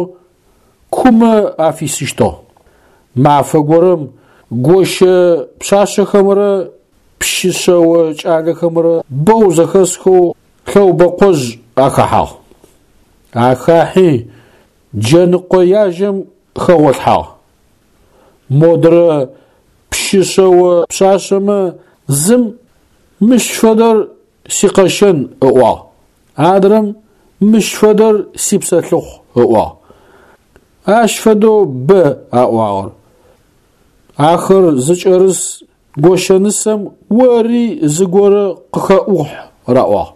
кумэ афисыщтыгъ. Мафэ горэм гощэ пшъашъэхэмрэ пщы шъэо кӏалэхэмрэ бэу зэхэсхэу Лъэубэкъожъ ахэхьагъ. Ахахьи джэныкъо яжьэм хэгъолъхьагъ. Модрэ пщы шъэо пшъашъэмэ зым мыщ фэдэр сикъэщэн ыӏуагъ, адрэм мыщ фэдэр сипсэлъыхъу ыӏуагъ. Ащ фэдэу бэ аӏуагъэр. Ахэр зыкӏэрыс гощэнысэм ори зыгорэ къыхэӏухь раӏуагъ.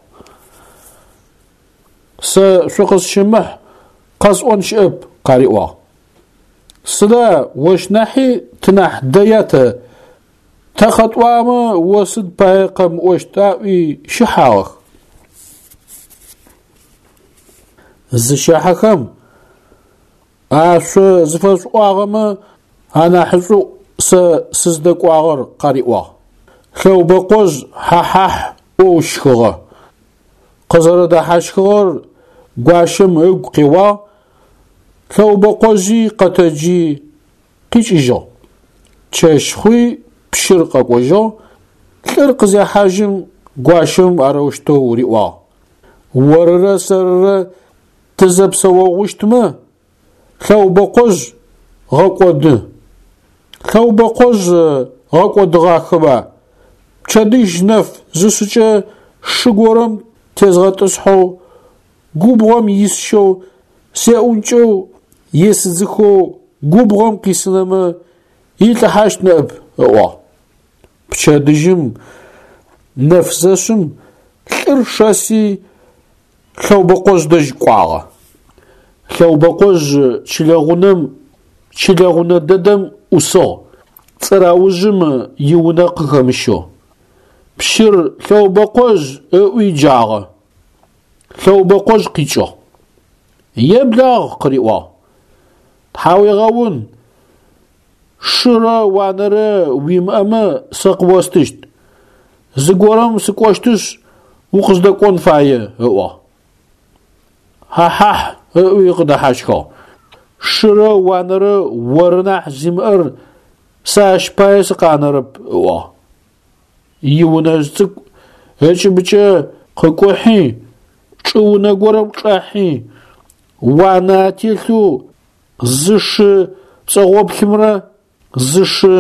Сэ шъукъысщымыхь, къэсӏон щыӏэп, къариӏуагъ. Сыда ощ нахьи тынахь дэя тэ? Тэ къэтӏуагъэмэ о сыд пае къэмыӏощт аӏуи щыхьагъэх. Зыщэхьэхэм а шъо зыфэшъуӏуагъэмэ анахьышӏуӏу сэ сыздэкӏуагъэр къариӏуагъ. Лъэубэкъожъ хьа-хьахь ӏоу щхыгъэ. Къызэрэдэхьащхыгъэр гуащэм ыгу къеуагъ, Лъэубэкъожъи къэтэджи къикӏыжьыгъ. Чэщ хъуи пщыр къэкӏожьыгъ, лӏыр къызехьажьым гуащэм арэущтэу риӏуагъ: Орырэ сэрырэ тызэпсэогъущтмэ, Лъэубэкъожъ гъэкӏоды. Лъэубэкъожъ гъэкӏодыгъахэба, пчэдыжь нэф зышъыкӏэ шы горэм тезгъэтӏысхьэу, губгъом исщэу, сеӏункӏэу, есыдзыхэу губгъом къисынэмэ, илӏыхьащт ныӏэп, ыӏуагъ. Пчэдыжьым нэф зэшъым лӏыр шэси Лъэубэкъожъ дэжь кӏуагъэ. Лъэубэкъожъ чылэгъунэм чылэгъунэ дэдэм ӏусыгъ, цӏыраужъым иунэ къыхэмыщэу. Пщыр Лъэубэкъожъ ыӏуи джагъэ. Лъэубэкъожъ къикӏыгъ. Еблагъ къыриӏуагъ. Тхьауегъэун, шырэ уанэрэ уимыӏэмэ сэ къыостыщт. Зыгорэм сыкӏощтышъ, укъыздэкӏон фае, ыӏуагъ. Хьа-хьахь ыӏуи къыдэхьащхыгъ. Шырэ уанэрэ оры нахь зимыӏэр сэ ащ пае сыкъанэрэп, ыӏуагъ. Иунэжъ цӏыкӏу ыкӏыбыкӏэ къыкӏухьи, чӏыунэ горэм чӏахьи, уанэ ателъэу зы шы пцӏэгъоплъымрэ зы шы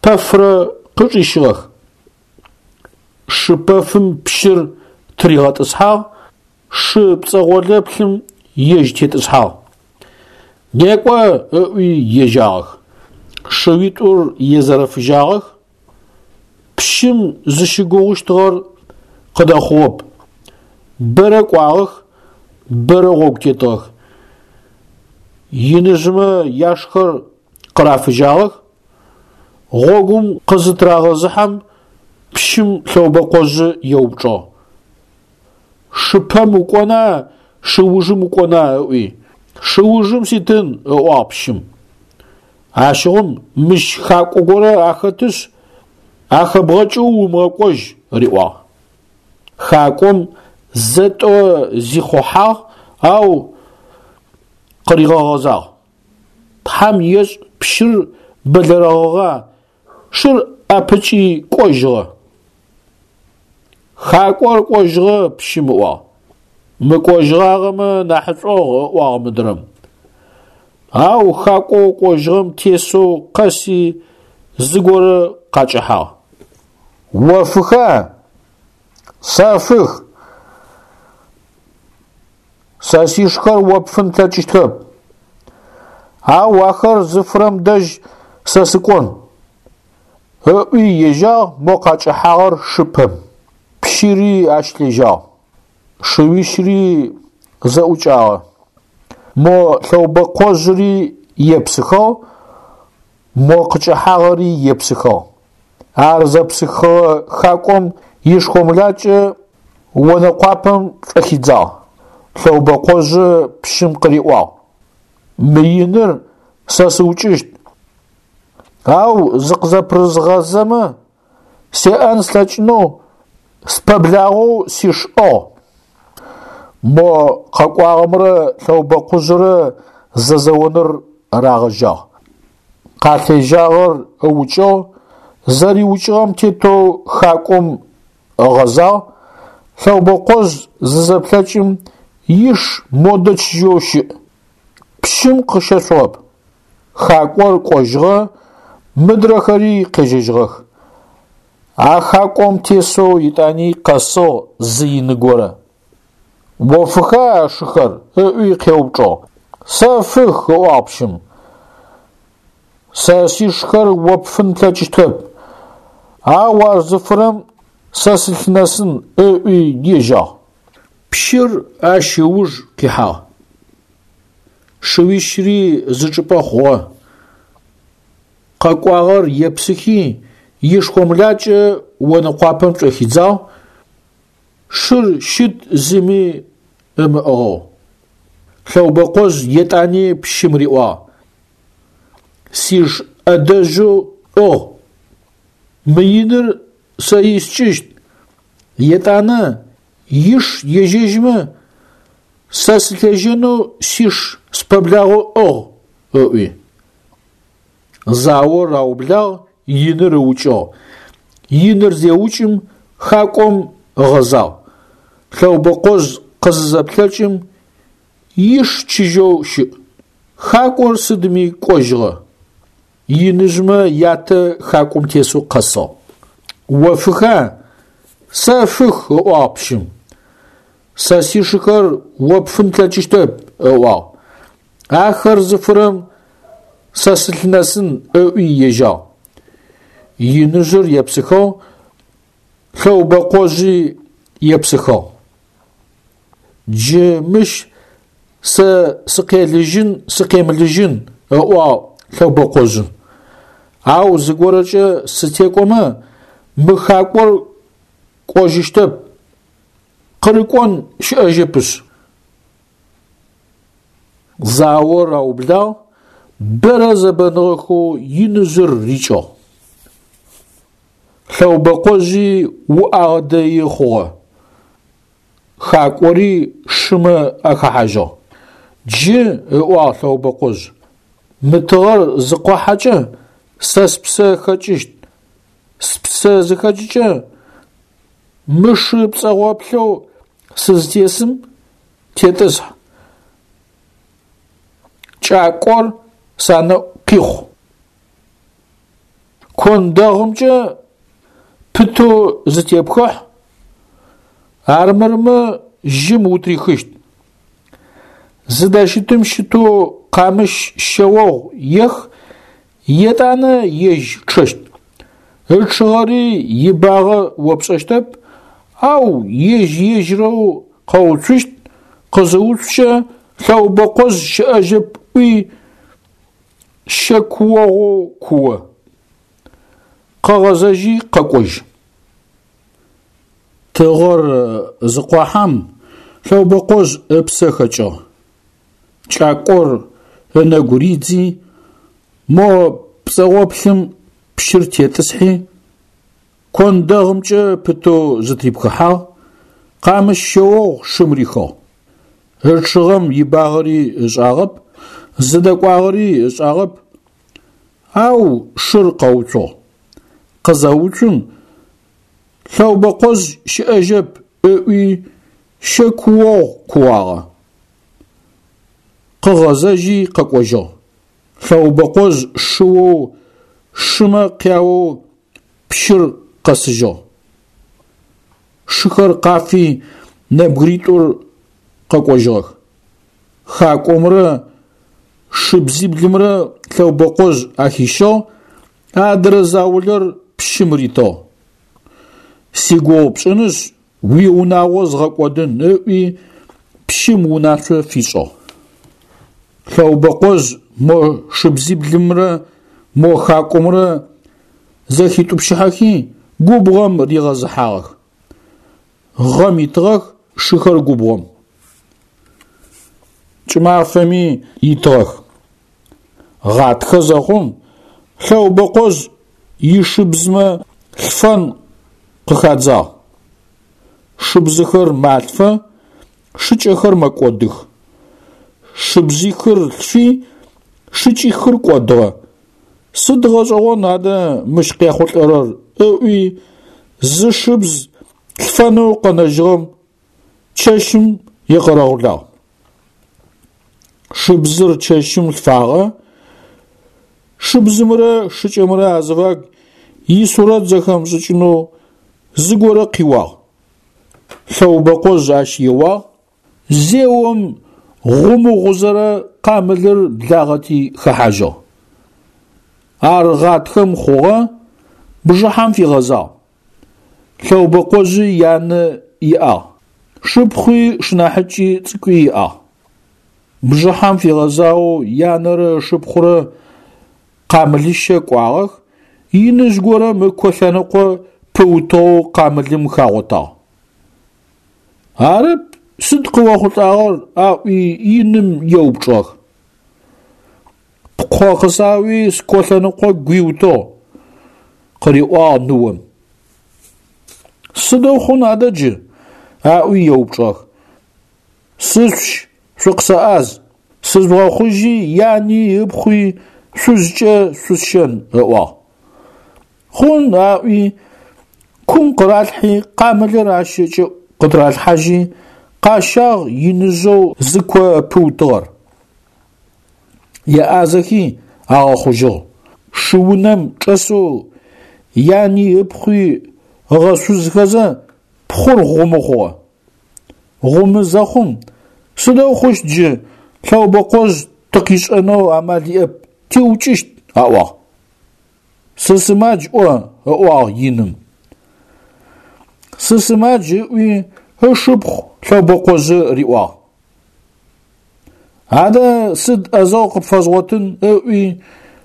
пэфрэ къычӏищыгъэх. Шы пэфым пщыр тыригъэтӏысхьагъ, шы пцӏэгъолэплъым ежь тетӏысхьагъ. Некӏо ыӏуи ежьагъэх. Шыуитӏур езэрэфыжьагъэх. Пщым зыщыгугъыщтыгъэр къыдэхъугъэп. Бэрэ кӏуагъэх, бэрэ гъогу тетыгъэх. Иныжъымэ яшхэр къырафыжьагъэх. Гъогум къызытырагъэзыхьэм пщым Лъэубэкъожъы еупчӏыгъ. Шыпэм укӏона, шыужым укӏона ыӏуи. Шыужым ситын, ыӏуагъ пщым. Ащыгъум мыщ хакӏо горэ ахэтышъ, ахэбгъэкӏэу умыгъэкӏожь, риӏуагъ. Хакӏом зэ-тӏо зихъухьагъ, ау къыригъэгъэзагъ. Тхьам ешӏ пщыр бэлэрэгъыгъа, шыр ӏэпыкӏи кӏожьыгъэ. Хакӏор кӏожьыгъэ пщым ыӏуагъ. Мыкӏожьыгъагъэмэ нахьышӏугъ, ыӏуагъ мыдрэм. Ау хакӏоу кӏожьыгъэм тесэу къэси зыгорэ къакӏэхьагъ. Офыха? Сэфых. Сэ сишхэр о пфын плъэкӏыщтхэп. Ау ахэр зыфырэм дэжь сэ сыкӏон. Ыӏуи ежьагъ мо къакӏэхьагъэр шыпэм. Пщыри ащ лъежьагъ. Шыуищыри зэӏукӏагъэ. Мо лъэубэкъожъыри епсыхыгъ, мо къыкӏэхьагъэри епсыхыгъ. Ар зэпсыхыгъэ хакӏом ишхомлакӏэ онэкъуапэм шӏохидзагъ. Лъэубэкъожъы пщым къыриӏуагъ: Мы иныр сэ сыукӏыщт. Ау зыкъызэпырызгъазэмэ, сеӏэн слъэкӏынэу спэблагъэу сиш ӏыгъ. Мо къэкӏуагъэмрэ лъэубэкъужъырэ зэзэоныр рагъэжьагъ. Къалъежьагъэр ыукӏыгъ, зэриукӏыгъэм тетэу хакӏом ыгъэзагъ, лъэубэкъожъ зызэплъэкӏым иш модэ чыжьэу щыӏ. Пщым къыщэшъугъэп. Хакӏор кӏожьыгъэ, мыдрэхэри къежьэжьыгъэх. А хакӏом тесэу етӏани къэсыгъ зы ины горэ. Офыха а шыхэр? Ыӏуи къеупчӏыгъ. Сэфых, ыӏуагъ пщым. Сэ сишхэр о пфын плъэкӏыщтхэп. Ау ар зыфырэм сэ сылъынэсын, ыӏуи ежьагъ. Пщыр ащ ыуж къихьагъ. Шыуищыри зы чӏыпӏэ хъугъэ. Къэкӏуагъэр епсыхи, ишхомлакӏэ онэкъуапэм чӏэхидзагъ, шыр щыт зыми ымыӏыгъэу. Лъэубэкъожъ етӏани пщым риӏуагъ: Сиш ӏэдэжьэу ӏыгъ. Мы иныр сэ искӏыщт. Етӏанэ иш ежьэжьмэ, сэ сылъежьэнэу сиш спэблагъэу ӏыгъ, ыӏуи. Заор аублагъ, иныр ыукӏыгъ. Иныр зеукӏым хакӏом ыгъэзагъ. Лъэубэкъожъ къызызэплъэкӏым иш чыжьэу щыӏ. Хакӏор сыдми кӏожьыгъэ. Иныжъмэ ятэ хакӏом тесэу къэсыгъ. Офыха? Сэфых, ыӏуагъ пщым. Сэ сишыхэр о пфын плъэкӏыщтэп, ыӏуагъ. Ахэр зыфырэм сэ сылъынэсын, ыӏуи ежьагъ. Иныжъыр епсыхыгъ, лъэубэкъожъи епсыхыгъ. Джы мыщ сэ сыкъелыжьын сыкъемылыжьын, ыӏуагъ лъэубэкъожъы. Ау зыгорэкӏэ сытекӏомэ, мы хакӏор кӏожьыщтэп, къырыкӏон щыӏэжьэпышъ. Заор аублагъ, бэрэ зэбэныгъэхэу иныжъыр рикӏыгъ. Лъэубэкъожъи уӏагъэ дэи хъугъэ. Хакӏори шымэ ахэхьажьыгъ. Джы, ыӏуагъ лъэубэкъожъ, мы тыгъэр зыкъохьэкӏэ сэ спсэ хэкӏыщт. Спсэ зыхэкӏыкӏэ мы шы пцӏэгъоплъэу сызтесым тетӏысхь. Кӏакӏор санэӏу къихъу. Кондэгъымкӏэ пытэу зытепхыхь, армырмэ жьым утрихыщт. Зыдэщытым щытэу къамыщ щэогъу ех, етӏанэ ежь чъэщт. Ычъыгъэри ибагъэ о пшӏэщтэп, ау ежь-ежьырэу къэуцущт, къызыуцукӏэ лъэубэкъожъ щыӏэжьэп ӏуи щэ куогъоу куо. Къэгъэзэжьи къэкӏожь. Тыгъэр зыкъохьэм лъэубэкъожъ ыпсэ хэкӏыгъ. Кӏакӏор ынэгу ридзи, мо пцӏэгъоплъым пщыр тетӏысхьи, кондэгъымкӏэ пытэу зытырипхыхьагъ, къамыщ щэогъу шым рихыгъ. Ычъыгъэм ибагъэри ышӏагъэп, зыдэкӏуагъэри ышӏагъэп, ау шыр къэуцугъ. Къызэуцум лъэубэкъожъ щыӏэжьэп ыӏуи Щэкуогъу куагъэ. Къыгъэзэжьи къэкӏожьыгъ. Лъэубэкъожъ шыоу шымэ къяоу пщыр къэсыжьыгъ. Шыхэр къафи нэбгыритӏур къэкӏожьыгъэх. Хакӏомрэ шыбзиблымрэ Лъэубэкъожъ ахищыгъ, адрэ заулэр пщым ритыгъ. Сигугъу пшӏынышъ, уиунагъо згъэкӏодын ыӏуи пщым унашъо фишӏыгъ. Лъэубэкъожъ мо шыбзиблымрэ мо хакӏомрэ зэхитӏупщыхьэхи губгъом ригъэзыхьагъэх. Гъэм итыгъэх шыхэр губгъом. Кӏымафэми итыгъэх. Гъатхэ зэхъум Лъэубэкъожъ ишыбзмэ лъфэн къыхадзагъ. Шыбзыхэр малъфэ, шыкӏэхэр мэкӏодых. Шыбзихыр лъфи, шыкӏихыр кӏодыгъэ. Сыд гъэшӏэгъон адэ мыщ къехъулӏэрэр ыӏуи зы шыбз лъфэнэу къэнэжьыгъэм чэщым екъэрэгъулагъ. Шыбзыр чэщым лъфагъэ, шыбзымрэ шыкӏэмрэ азыфагу исурэт зэхэмышӏыкӏынэу зыгорэ къиуагъ. Лъэубэкъожъ ащ еуагъ, зеом гъумыгъузэрэ къамылыр благъэти хэхьажьыгъ. Ар гъатхэм хъугъэ, бжыхьэм фигъэзагъ. Лъэубэкъожъы янэ иӏагъ, шыпхъуи шынахьыкӏи цӏыкӏуи иӏагъ. Бжыхьэм фигъэзагъэу янэрэ ышыпхъурэ къамылыщэ кӏуагъэх, иныжъ горэм ыко лъэныкъо пыутыгъэу къамылым хагъотагъ. Арэп, сыд къыохъулӏагъэр аӏуи иным еупчӏыгъэх. Пкъо къысауи ско лъэныкъо гуиутыгъ, къыриӏуагъ ныом. Сыдэу хъун адэ джы? Аӏуи еупчӏыгъэх. Сышъущ, шъукъысэӏаз, сыжъугъэхъужьи яни ыпхъуи шъузкӏэ шъусщэн, ыӏуагъ. Хъун аӏуи кум къыралъхьи къамылыр ащ ыкӏыӏу къытыралъхьажьи къащагъ иныжъэу зыко пыутыгъэр. Еӏазэхи агъэхъужьыгъ. Шыунэм чӏэсэу яни ыпхъуи ыгъэшъузхэзэ пхъур гъумы хъугъэ. Гъумы зэхъум сыдэу хъущт джы Лъэубэкъожъ тыкъишӏэнэу амал иӏэп, тиукӏыщт, аӏуагъ. Сысымадж ӏо, ыӏуагъ иным. Сысымадж ыӏуи ышыпхъу Лъэубэкъожъы риӏуагъ. Адэ сыд ӏэзэгъу къыпфэзгъотын ыӏуи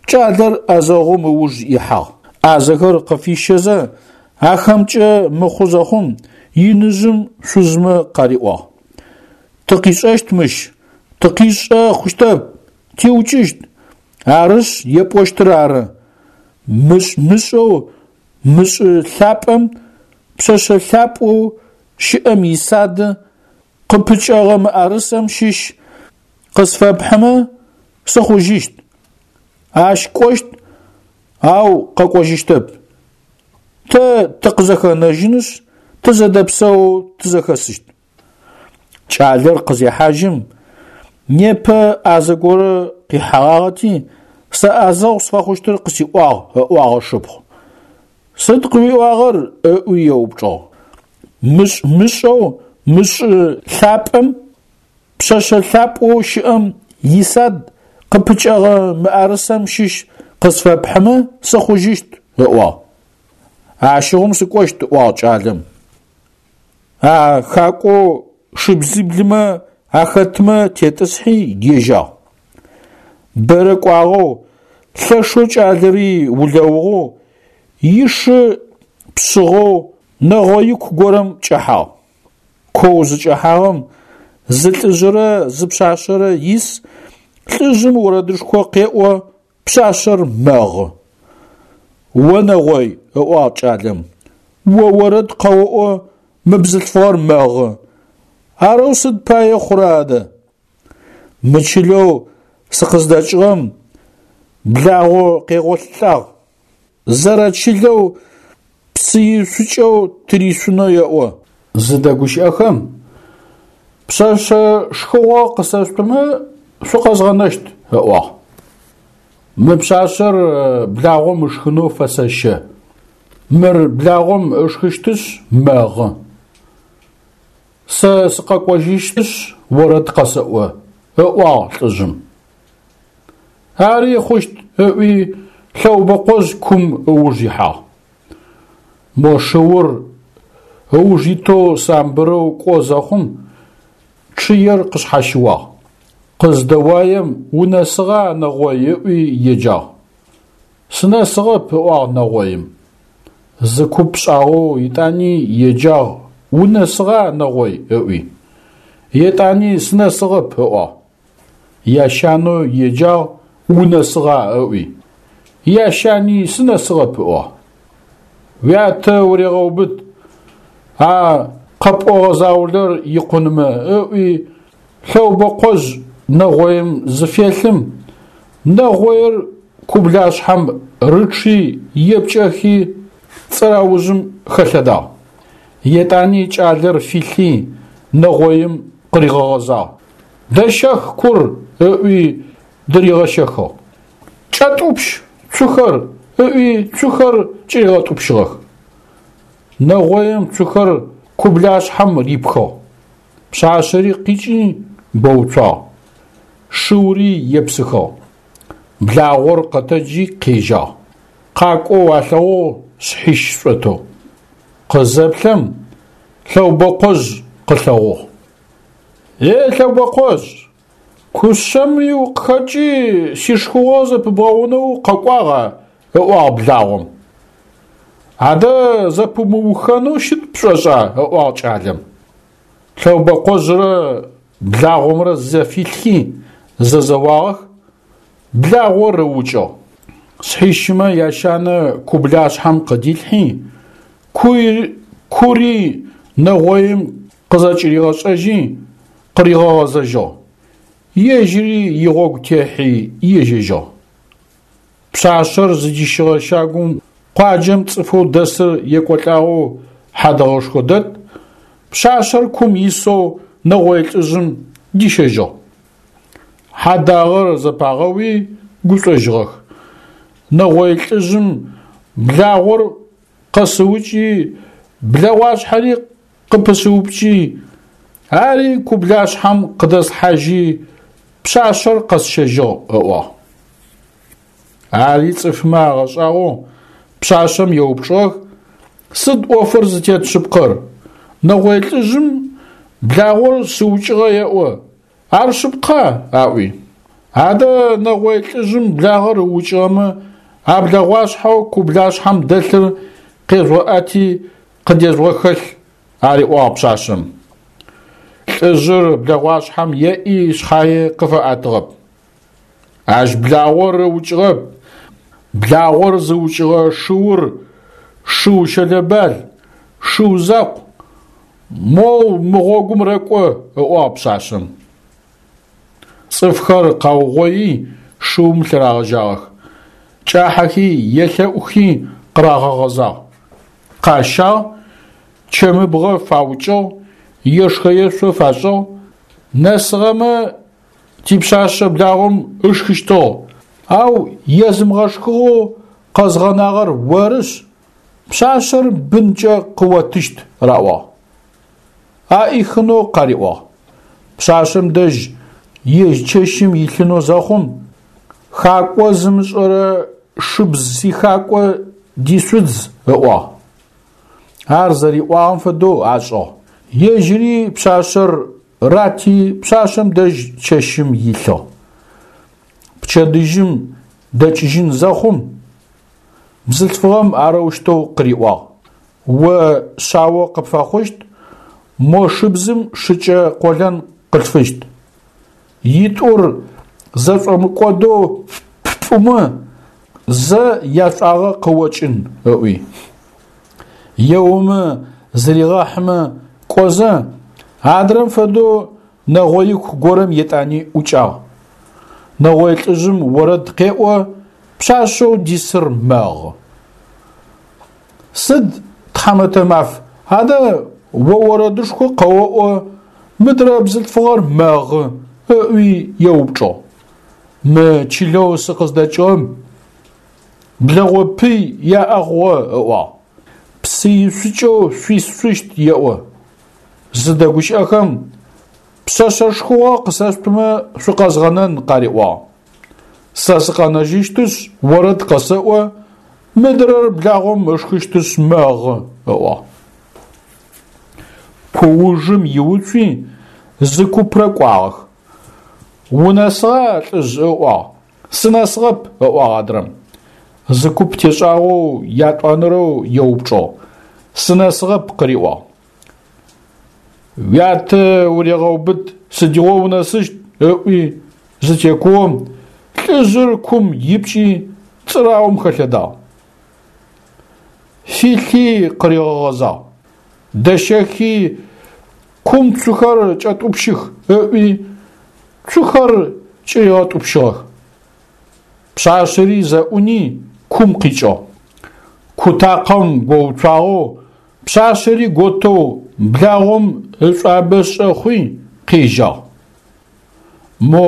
кӏалэр ӏэзэгъум ыуж ихьагъ. ӏазэхэр къыфищэзэ ахэмкӏэ мыхъу зэхъум иныжъым шъузмэ къариӏуагъ. Тыкъишӏэщт мыщ, тыкъишӏэ хъущтэп, тиукӏыщт. Арышъ епӏощтыр ары. Мышӏ-мышӏэу мышӏы лъапӏэм пшъэшъэ лъапӏэу щыӏэм исады къыпыкӏэгъэ мыӏэрысэм щыщ къысфэпхьымэ сыхъужьыщт. Ащ кӏощт, ау къэкӏожьыщтэп. Тэ тыкъызэхэнэжьынышъ, тызэдэпсэоу тызэхэсыщт. Кӏалэр къызехьажьым, непэ ӏазэ горэ къихьэгъагъэти, сэ ӏэзэгъу сфэхъущтыр къысиӏуагъ, ыӏуагъ ышыпхъу. Сыд къыуиӏуагъэр? Ыӏуи еупчӏыгъ. Мышӏ-мышӏэу мышӏы лъапӏэм пшъэшъэ лъапӏэу щыӏэм исад къыпыкӏэгъэ мыӏэрысэм щыщ къысфэпхьымэ сыхъужьыщт, ыӏуагъ. Ащыгъум сыкӏощт, ыӏуагъ кӏалэм. А хакӏоу шыбзиблымэ ахэтмэ тетӏысхьи ежьагъ. Бэрэ кӏуагъэу, лъэшэу кӏалэри улэугъэу, ишы пшъыгъэу нэгъоику горэм кӏэхьагъ. Коу зыкӏэхьагъэм зы лӏыжъырэ зы пшъашъэрэ ис, лӏыжъым орэдышхо къеӏо, пшъашъэр мэгъы. О нэгъой, ыӏуагъ кӏалэм, о орэд къэоӏо, мы бзылъфыгъэр мэгъы. Арэу сыд пае хъурэ адэ? Мы чылэу сыкъыздэкӏыгъэм благъо къегъолъылӏагъ. Зэрэчылэу псыишъукӏэу тыришъунэу еӏо. Зыдэгущыӏэхэм Пшъэшъэ шхыгъо къысэшъутымэ шъукъэзгъэнэщт, ыӏуагъ. Мы пшъашъэр благъом ышхынэу фэсэщэ. Мыр благъом ышхыщтышъ мэгъы. Сэ сыкъэкӏожьыщтышъ орэд къэсэӏо, ыӏуагъ лӏыжъым. Ари хъущт, ыӏуи Лъэубэкъожъ кум ыуж ихьагъ. Мо шыур ыуж итэу самбырэу кӏо зэхъум чъыер къышъхьащыуагъ. Къыздэуаем унэсыгъа нэгъой ыӏуи еджагъ. Сынэсыгъэп, ыӏуагъ нэгъоим. Зы куп шӏагъэу етӏани еджагъ унэсыгъа нэгъой ыӏуи. Етӏани сынэсыгъэп, ыӏуагъ. Ящанэу еджагъ унэсыгъа ыӏуи. Ящани сынэсыгъэп, ыӏуагъ. Уятэ урегъэубыт, а къэпӏогъэ заулэр икъунмэ ыӏуи Лъэубэкъожъ нэгъоим зыфелъым, нэгъоир кублашъхьэм рычъи епкӏэхи цӏыраужъым хэлъэдагъ. Етӏани кӏалэр филъи нэгъоим къыригъэгъэзагъ. Дэщэх кур ыӏуи дыригъэщэхыгъ. Кӏэтӏупщ цухэр ыӏуи цухэр кӏыригъэтӏупщыгъэх. Нэгъоим цухэр кублашъхьэм рипхыгъ. Пшъашъэри къикӏи гоуцуагъ. Шыури епсыхыгъ. Благъор къэтэджи къежьагъ. Къакӏоу алъэгъугъ шъхьищ шӏотэу. Къызэплъэм Лъэубэкъожъ къылъэгъугъ. Е Лъэубэкъожъ, кушъэми укъыхэкӏи сишхыгъо зэпыбгъэунэу къэкӏуагъа, ыӏуагъ благъом. Адэ зэпымыухэнэу щыт пшӏошӏа, ыӏуагъ кӏалэм. Лъэубэкъожърэ благъомрэ зэфилъхи зэзэуагъэх, благъор ыукӏыгъ. Шъхьищмэ ящанэ кублашъхьэм къыдилъхьи, кури нэгъоим къызэкӏыригъэшӏэжьи къыригъэгъэзэжьыгъ. Ежьыри игъогу техьи ежьэжьыгъ. Пшъашъэр зыдищыгъэ щагум къуаджэм цӏыфэу дэсыр екӏолӏагъэу хьадэгъэшхо дэт, пшъашъэр кум исэу нэгъой лӏыжъым дищэжьыгъ. Хьадагъэр зэпагъэуи гушӏожьыгъэх. Нэгъой лӏыжъым благъор къэсыукӏи, блэгъуашъхьэри къыпысыупкӏи, ари кублашъхьэм къыдэслъхьажьи, пшъашъэр къэсщэжьыгъ, ыӏуагъ. Ари цӏыфмэ агъэшӏагъоу пшъашъэм еупчӏыгъэх, сыд ӏофыр зытет шъыпкъэр? Нэгъой лӏыжъым благъор сыукӏыгъэ еӏо, ар шъыпкъа? Аӏуи. Адэ нэгъой лӏыжъым благъэр ыукӏыгъэмэ, а блэгъуашъхьэу кублашъхьэм дэлъыр къежъугъэӏэти къыдежъугъэхэлъ, ариӏуагъ пшъашъэм. Лӏыжъыр блэгъуашъхьэм еӏи шъхьае къыфэӏэтыгъэп. Ащ благъор ыукӏыгъэп. Благъор зыукӏыгъэ шыур шыу щэлэбал, шыу закъу, моу мы гъогум рэкӏо, ыӏуагъ пшъашъэм. Цӏыфхэр къаугъои шыум лъырагъэжьагъэх. Кӏахьэхи елъэӏухи къырагъэгъэзагъ. Къащагъ, чэмыбгъэ фаукӏыгъ, ешхэ-ешъо фашӏыгъ. Нэсыгъэмэ типшъашъэ благъом ышхыщтыгъ, ау езымыгъэшхыгъэу къэзгъэнагъэр орышъ, пшъашъэр бынкӏэ къыотыщт, раӏуагъ. Аӏихынэу къариӏуагъ. Пшъашъэм дэжь ежь чэщым илъынэу зэхъум, хакӏо зымышӏэрэ шыбз сихакӏо дишъудз, ыӏуагъ. Ар зэриӏуагъэм фэдэу ашӏыгъ. Ежьыри пшъашъэр рати пшъашъэм дэжь чэщым илъыгъ. Пчэдыжьым дэкӏыжьын зэхъум, бзылъфыгъэм арэущтэу къыриӏуагъ: О шъао къыпфэхъущт, мо шыбзым шыкӏэ къолэн къылъфыщт. Итӏур зэшӏомыкӏодэу ппӏумэ, зэ яшӏуагъэ къыокӏын, ыӏуи. Еумэ зыригъэхьымэ кӏозэ, адрэм фэдэу нэгъоику горэм етӏани ӏукӏагъ. Нэгъой лӏыжъым орэд къеӏо, пшъашъэу дисыр мэгъы. Сыд тхьамэтэ маф, адэ о орэдышхо къэоӏо, Мыдрэ бзылъфыгъэр мэгъы, ыӏуи еупчӏыгъ. Мы чылэу сыкъыздэкӏыгъэм блэгъо пый яӏэ хъугъэ, ыӏуагъ. Псы ишъукӏэу шъуисшъущт еӏо. Зыдэгущыӏэхэм пшъэшъэ шхыгъо къысэшъутымэ шъукъэзгъэнэн къариӏуагъ. Сэ сыкъэнэжьыщтышъ, орэд къэсэӏо, мыдрэр благъом ышхыщтышъ мэгъы, ыӏуагъ. Куужым иуцуи зы купрэ кӏуагъэх. Унэсыгъа, лӏыжъ, ыӏуагъ. Сынэсыгъэп, ыӏуагъ адрэм. Зы куп тешӏагъэу ятӏонэрэу еупчӏыгъ. Сынэсыгъэп, къыриӏуагъ. Уятэ урегъэубыт, сыдигъо унэсыщт, ыӏуи зытекуом, лӏыжъыр кум ипкӏи цӏыраум хэлъэдагъ. Филъи къыригъэгъэзагъ. Дэщэхи кум цухэр кӏэтӏупщых, ыӏуи цухэр кӏыригъэтӏупщыгъэх. Пшъашъэри зэӏуни кум къикӏыгъ. Кутакъэм гоуцуагъэу, пшъашъэри готэу благъом ышӏуабэ шӏэхъуи къежьагъ. Мо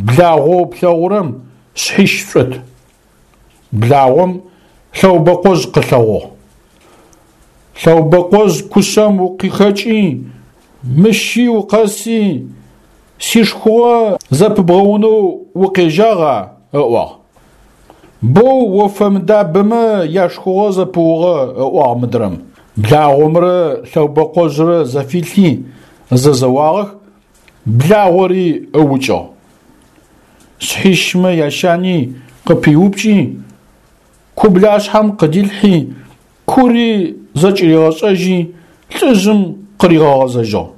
благъоу плъэгъурэм шъхьищ шӏот. Благъом Лъэубэкъожъ къылъэгъугъ. Лъэубэкъожъ кушъэм укъыхэкӏи, мыщи укъэси, сишхыгъо зэпыбгъэунэу укъежьагъа? Ыӏуагъ. Боу офэмыдабэмэ яшхыгъо зэпыугъэ, ыӏуагъ мыдрэм. Благъомрэ Лъэубэкъожърэ зэфилъи зэзэуагъэх, благъори ыукӏыгъ. Шъхьищмэ ящани къыпиупкӏи, кублашъхьэм къыдилъхьи, кури зэкӏыригъэшӏэжьи, лӏыжъым къыригъэгъэзэжьыгъ.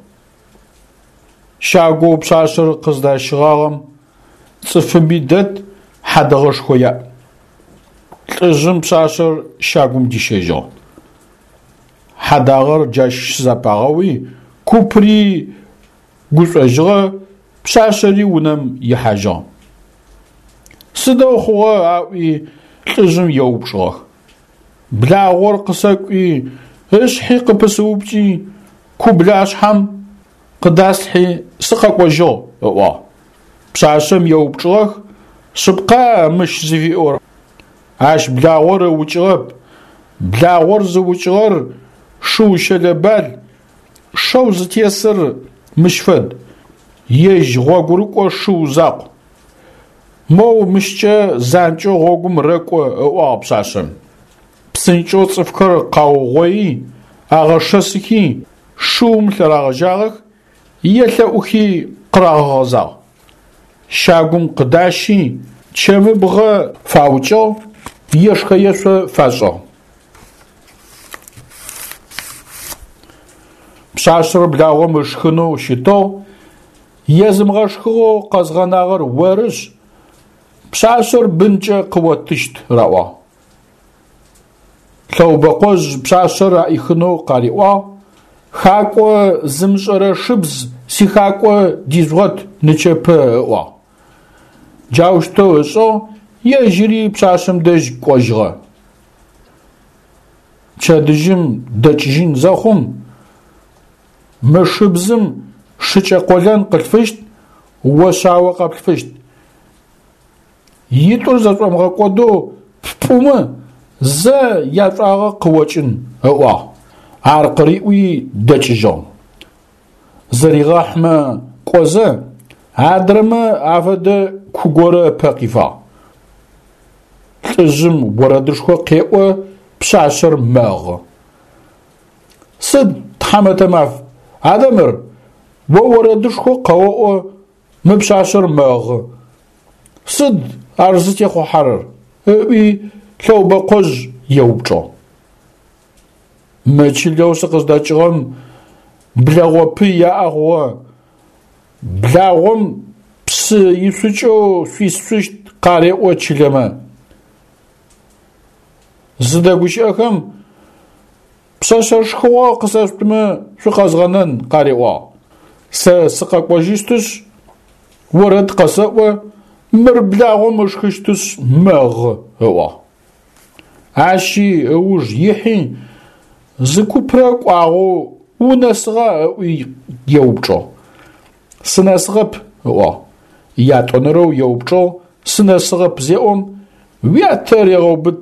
Щагоу пшъашъэр къыздащыгъагъэм цӏыфыби дэт, хьадэгъэшхо яӏ. Лӏыжъым пшъашъэр щагум дищэжьыгъ. Хьадагъэр джащ щызэпагъэуи, купри гушӏожьыгъэ, пшъашъэри унэм ихьажьыгъ. Сыдэу хъугъэ аӏуи лӏыжъым еупчӏыгъэх. Благъор къысэкӏуи, ышъхьи къыпысыупкӏи, кублашъхьэм къыдаслъхьи сыкъэкӏожьыгъ, ыӏуагъ. Пшъашъэм еупчӏыгъэх, шъыпкъа мыщ зыфиӏорэр? Ащ благъор ыукӏыгъэп. Благъор зыукӏыгъэр шыу щэлэбал, шэу зытесыр мыщ фэд, ежь гъогурыкӏо шыу закъу. Моу мыщкӏэ занкӏэу гъогум рэкӏо, ыӏуагъ пшъашъэм. Псынкӏэу цӏыфхэр къаугъои, агъэшэсыхи, шыум лъырагъэжьагъэх, елъэӏухи къырагъэгъэзагъ. Щагум къыдащи, чэмыбгъэ фаукӏыгъ, ешхэ-ешъо фашӏыгъ. Пшъашъэр благъом ышхынэу щытыгъ, езымыгъэшхыгъэу къэзгъэнагъэр орышъ, пшъашъэр бынкӏэ къыотыщт, раӏуагъ. Лъэубэкъожъ пшъашъэр аӏихынэу къариӏуагъ, хакӏо зымышӏэрэ шыбз сихакӏо дижъугъэт нычэпэ, ыӏуагъ. Джаущтэу ышӏыгъ, ежьыри пшъашъэм дэжь кӏожьыгъэ. Пчэдыжьым дэкӏыжьын зэхъум, мы шыбзым шыкӏэ къолэн къылъфыщт, о шъао къэплъфыщт. Итӏур зэшӏомыгъэкӏодэу ппӏумэ, зэ яшӏуагъэ къыокӏын, ыӏуагъ. Ар къыриӏуи дэкӏыжьыгъ. Зэригъэхьмэ кӏозэ, адрэмэ афэдэ ку горэ ыпэ къифагъ. Лӏыжъым орэдышхо къеӏо, пшъашъэр мэгъы. Сыд, тхьамэтэ маф, адэ мыр, о орэдышхо къэоӏо, мы пшъашъэр мэгъы. Сыд ар зытехъухьэрэр? Ыӏуи Лъэубэкъожъ еупчӏыгъ. Мы чылэу сыкъыздэкӏыгъэм блэгъо пый яӏэ хъугъэ. Благъом псы ишъукӏэу шъуисшъущт къареӏо чылэмэ. Зыдэгущыӏэхэм пшъэшъэ шхыгъо къысэшъутымэ шъукъэзгъэнэн къариӏуагъ. Сэ сыкъэкӏожьыщтышъ, орэд къэсэӏо, мыр благъом ышхыщтышъ мэгъы, ыӏуагъ. Ащи ыуж ихьи, зы купрэ кӏуагъэу унэсыгъа ыӏуи еупчӏыгъ. Сынэсыгъэп, ыӏуагъ. Ятӏонэрэу еупчӏыгъ, сынэсыгъэп зеӏом, уятэ регъэубыт,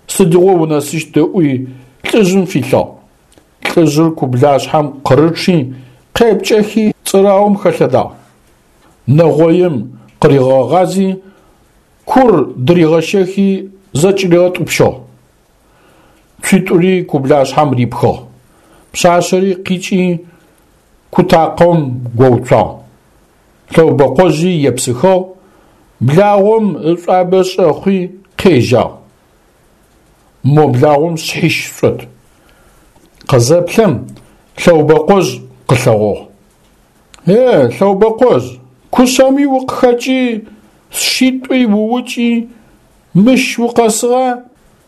сыдигъо унэсыщт ыӏуи лӏыжъым филъыгъ. Лӏыжъыр кублашъхьэм къырычъи, къепкӏэхи цӏыраум хэлъэдагъ. Нэгъоим къыригъэгъази, кур дыригъэщэхи зэкӏыригъэтӏупщыгъ. Цуитӏури кублашъхьэм рипхыгъ. Пшъашъэри къикӏи кутакъэм гоуцуагъ. Лъэубэкъожъи епсыхыгъ, благъом ышӏуабэ шӏэхъуи къежьагъ. Мо благъом шъхьищ шӏот. Къызэплъэм Лъэубэкъожъ къылъэгъугъ. Е, Лъэубэкъожъ, кушъэми укъыхэкӏи, сшитӏуи уукӏи, мыщ укъэсыгъа,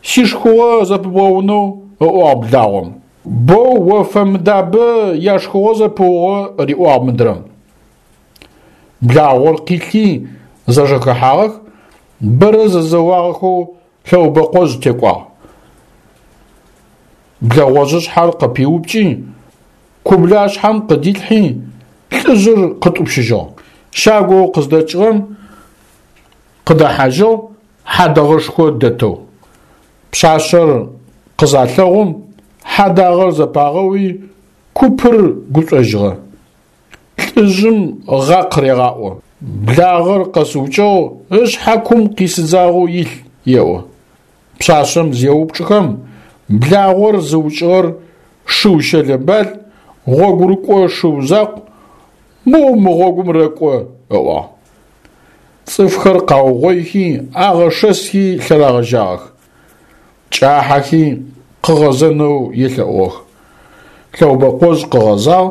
сишхыгъо зэпыбгъэунэу, ыӏуагъ благъом. Боу о фэмыдабэ яшхыгъо зэпыугъо, риӏуагъ мыдрэм. Благъор къилъи зэжэхэхьагъэх, бэрэ зэзэуагъэхэу Лъэубэкъожъ текӏуагъ. Блэгъожъышъхьэр къыпиупкӏи, кублашъхьэм къыдилъхьи, лӏыжъыр къытӏупщыжьыгъ. Щагоу къыздэкӏыгъэм къыдэхьажьыгъ хьадэгъэшхо дэтэу. Пшъашъэр къызалъэгъум, хьадагъэр зэпагъэуи, купыр гушӏожьыгъэ. Лӏыжъым гъакъ регъаӏо. Благъэр къэсыукӏыгъ, ышъхьэ кум къисыдзагъэу илъ, еӏо. Пшъашъэм зеупчӏыхэм, благъор зыукӏыгъэр шыу щэлэбал, гъогурыкӏо шыу закъу, моу мы гъогум рэкӏо, ыӏуагъ. Цӏыфхэр къаугъоихи, агъэшэсхи лъэрагъэжьагъэх. Кӏахьэхи къыгъэзэнэу елъэӏугъэх. Лъэубэкъожъ къыгъэзагъ,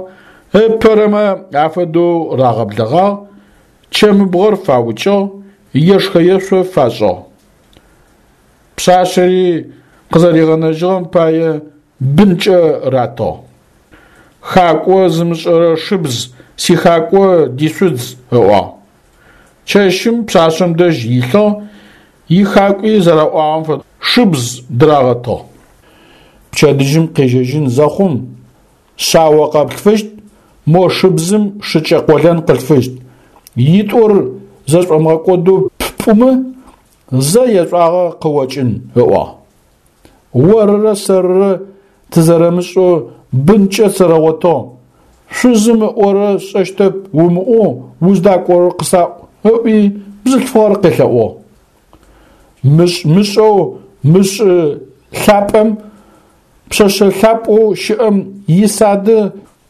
ыпэрэмэ афэдэу рагъэблэгъагъ, чэмыбгъэр фаукӏыгъ, ешхэ-ешъо фашӏыгъ. Пшъашъэри къызэригъэнэжьыгъэм пае бынкӏэ ратыгъ. Хакӏо зымышӏэрэ шыбз сихакӏо дишъудз, ыӏуагъ. Чэщым пшъашъэм дэжь илъыгъ, ихакӏуи зэраӏуагъэм фэдэу шыбз дырагъэтыгъ. Пчэдыжьым къежьэжьын зэхъум, шъао къэплъфыщт, мо шыбзым шыкӏэ къолэн къылъфыщт. Итӏур зэшӏомыгъэкӏодэу ппӏумэ, зэ ешӏуагъэ къыокӏын, ыӏуагъ. Орырэ сэрырэ тызэрэмышӏэу бынкӏэ сэрэгъотыгъ. Шъузым ыӏорэ сшӏэщтэп умыӏоу уздакӏорэр къысаӏу, ыӏуи бзылъфыгъэр къелъэӏугъ. Мышӏ-мышӏэу мышӏы лъапӏэм, пшъэшъэ лъапӏэу щыӏэм исады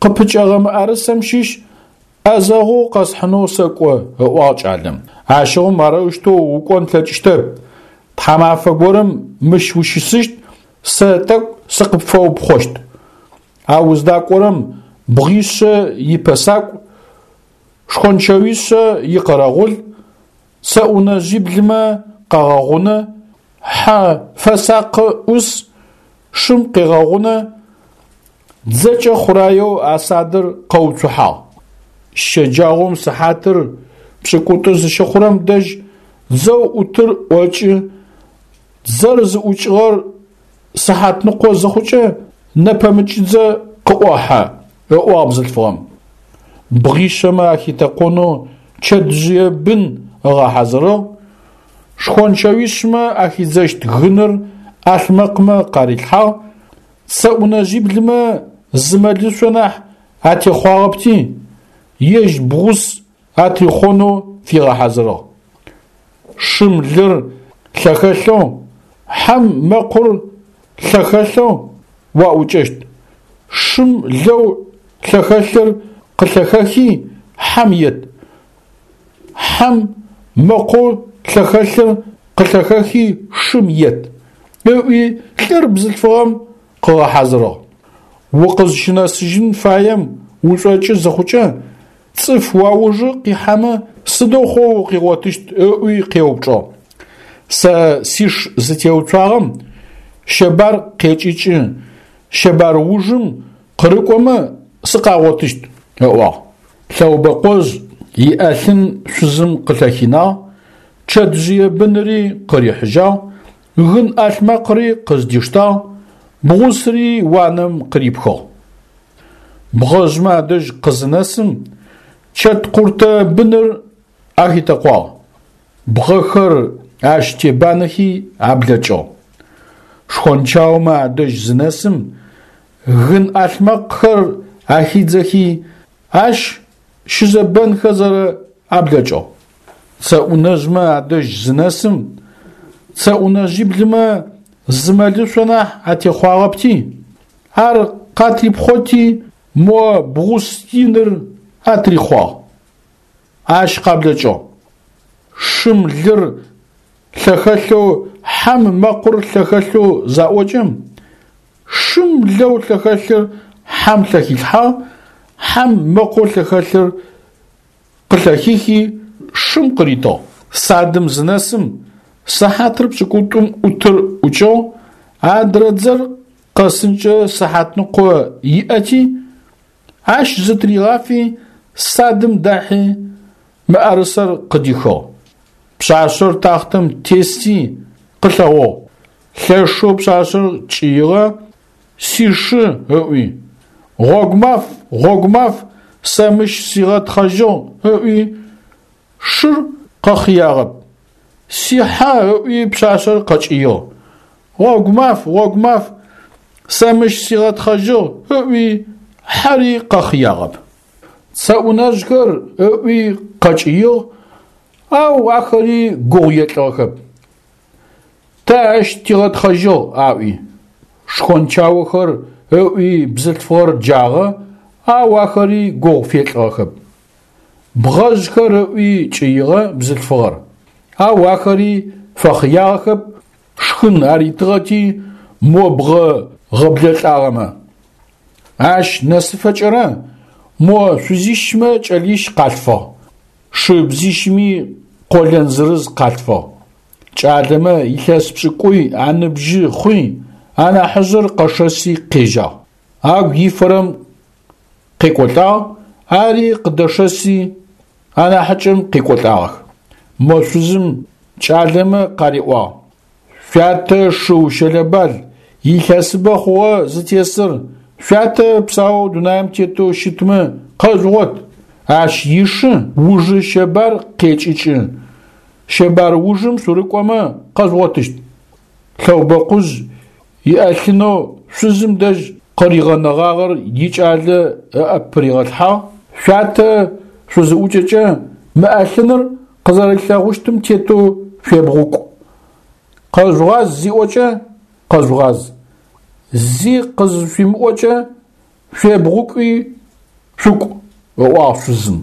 къыпыкӏэгъэ мыӏэрысэм щыщ ӏэзэгъоу къэсхьынэу сэкӏо, ыӏуагъ кӏалэм. Ащыгъум арэущтэу укӏон плъэкӏыщтэп. Тхьамафэ горэм мыщ ущысыщт, сэ тӏэкӏу сыкъыпфэупхъощт. А уздакӏорэм бгъишъэ ипэсакӏу, шхончэуишъэ икъэрэгъул, цэӏунэжъиблымэ къагъэгъунэ, хьэ фэсакъы ӏус, шым къегъэгъунэ, дзэкӏэ хъураеу а садыр къэуцухьагъ. Щэджагъом сыхьатыр пшӏыкӏутӏу зыщыхъурэм дэжь дзэу ӏутыр ӏокӏы, дзэр зыӏукӏыгъэр сыхьатныкъо зыхъукӏэ нэпэмыкӏыдзэ къыӏохьэ, ыӏуагъ бзылъфыгъэм. Бгъишъэмэ ахитэкъонэу чэтжъые бын ыгъэхьазырыгъ, шхончэуишъмэ ахидзэщт гыныр ӏалъмэкъмэ къарилъхьагъ, цэӏунэжъиблымэ зы мэлышъо нахь атехъуагъэпти, ежь бгъус атрихъонэу фигъэхьазырыгъ. Шым лыр лъэхэлъэу, хьэм мэкъур лъэхэлъэу уаӏукӏэщт. Шым лэу лъэхэлъыр къылъэхэхи хьэм ет. Хьэм мэкъоу лъэхэлъыр къылъэхэхи шым ет, ыӏуи лӏыр бзылъфыгъэм къыгъэхьазырыгъ. Укъызщынэсыжьын фаем ушӏокӏы зыхъукӏэ, цӏыф уаужы къихьэмэ сыдэу хъоу укъигъотыщт, ыӏуи къеупчӏыгъ. Сэ сиш зытеуцуагъэм щэбар къекӏыкӏы, щэбар ужым къырыкӏомэ сыкъагъотыщт, ыӏуагъ. Лъэубэкъожъ иӏэлъын шъузым къылъэхинагъ, чэтжъые быныри къырихьыжьагъ, гын ӏалъмэкъри къыздиштагъ, бгъусри уанэм къырипхыгъ. Бгъэжъмэ адэжь къызынэсым, Чэткъуртэ быныр ахитэкъуагъ. Бгъэхэр ащ тебанэхи аблэкӏыгъ. Шхончаомэ адэжь зынэсым, гын ӏалъмэкъхэр ахидзэхи, ащ щызэбэнхэзэ аблэкӏыгъ. Цэӏунэжъмэ адэжь зынэсым, цэӏунэжъиблымэ зы мэлышъо нахь атехъуагъэпти, ар къатрипхъоти, мо бгъус иныр атрихъуагъ. Ащ къаблэкӏыгъ. Шым лыр лъэхэлъэу, хьэм мэкъур лъэхэлъэу заӏокӏэм, шым лэу лъэхэлъыр хьэм лъэхилъхьагъ, хьэм мэкъоу лъэхэлъыр къылъэхихи, шым къыритыгъ. Садым зынэсым, сыхьатыр пшӏыкӏутӏум ӏутыр ӏукӏыгъ, адрэ дзэр къэсынкӏэ сыхьатныкъо иӏэти, ащ зытыригъафи, садым дахьи, мыӏэрысэр къыдихыгъ. Пшъашъэр тахътэм тести къылъэгъугъ. Лъэшэу пшъашъэр кӏыигъэ, сишы ыӏуи. Гъогу маф, гъогу маф, сэ мыщ сигъэтхъэжьыгъ ыӏуи, шыр къэхъыягъэп. Сихьэ ыӏуи пшъашъэр къэкӏыигъ. Гъогу маф, гъогу маф, сэ мыщ сигъэтхъэжьыгъ ыӏуи, хьэри къэхъыягъэп. Цэӏунэжъхэр ыӏуи къэкӏыигъ, ау ахэри гугъу елӏыгъэхэп. Тэ ащ тигъэтхъэжьыгъ аӏуи. Шхончаохэр ыӏуи бзылъфыгъэр джагъэ, ау ахэри гугъу фелӏыгъэхэп. Бгъэжъхэр ыӏуи кӏыигъэ бзылъфыгъэр, ау ахэри фэхъыягъэхэп, шхын аритыгъэти мо бгъэ гъэблэлӏагъэмэ. Ащ нэсыфэкӏэрэ мо шъузищмэ кӏэлищ къалъфыгъ, шыбзищми къолэн зырыз къалъфыгъ. Кӏалэмэ илъэс пшӏыкӏуй аныбжьы хъуи, анахьыжъыр къэшэси къежьагъ. Агу ифэрэм къекӏолӏагъ, ари къыдэшэси анахьыкӏэм къекӏолӏагъэх. Мо шъузым кӏалэмэ къариӏуагъ: Шъуятэ шыу щэлэбал, илъэсыбэ хъугъэ зытесыр, шъуятэ псаоу дунаим тетэу щытмэ къэжъугъот. Ащ ишы ужы щэбар къекӏыкӏы. Щэбар ужым шъурыкӏомэ къэжъугъотыщт. Лъэубэкъужъ иӏэлъынэу шъузым дэжь къыригъэнэгъагъэр икӏалэ ыӏэ пыригъэлъхьагъ. Шъуятэ шъузыӏукӏэкӏэ мы ӏэлъыныр къызэрилъэгъущтым тетэу шъуебгъукӏу. Къэжъугъаз зиӏокӏэ къэжъугъаз. Зи къызышъуимыӏокӏэ шъуебгъукӏуи шъукӏу, ыӏуагъ шъузым.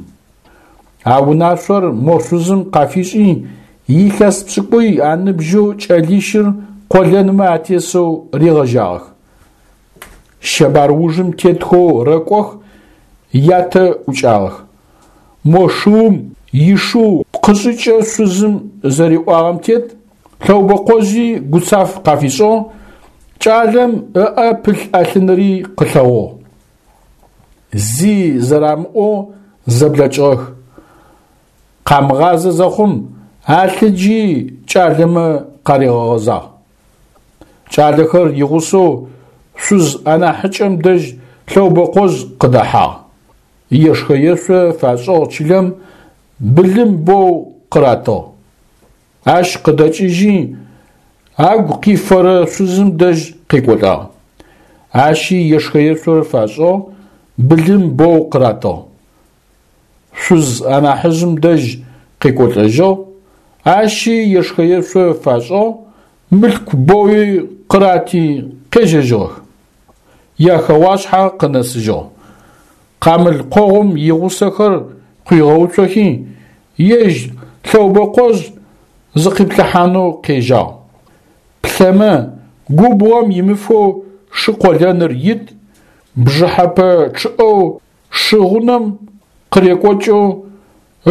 А унашъор мо шъузым къафишӏи, илъэс пшӏыкӏуй аныбжьэу кӏэлищыр къолэнмэ атесэу ригъэжьагъэх. Щэбар ужым тетхэу рэкӏох, ятэ ӏукӏагъэх. Мо шыум ишыу пкъышӏыкӏэ шъузым зэриӏуагъэм тет, Лъэубэкъожъи гуцаф къафишӏыгъ, кӏалэм ыӏэ пылъ ӏэлъыныри къылъэгъугъ. Зи зэрамыӏоу зэблэкӏыгъэх. Къамыгъазэ зэхъум, алъыджи кӏалэмэ къаригъэгъэзагъ. Кӏалэхэр игъусэу шъуз анахьыкӏэм дэжь Лъэубэкъожъ къыдэхьагъ. Ешхэ-ешъо фашӏыгъ чылэм, былым боу къыратыгъ. Ащ къыдэкӏыжьи, агу къифэрэ шъузым дэжь къекӏолӏагъ. Ащи ешхэ-ешъо фашӏыгъ, былым боу къыратыгъ. Шъуз анахьыжъым дэжь къекӏолӏэжьыгъ, ащи ешхэ-ешъо фашӏыгъ, мылъку боуи къырати къежьэжьыгъэх. Яхэгъуашъхьэ къынэсыжьыгъ. Къамыл къогъум игъусэхэр къуигъэуцохи, ежь Лъэубэкъожъ зыкъиплъыхьанэу къежьагъ. Плъэмэ, губгъом имыфэу шы къолэныр ит, бжыхьэпэ чъыӏэу шы гъунэм къырекӏокӏэу,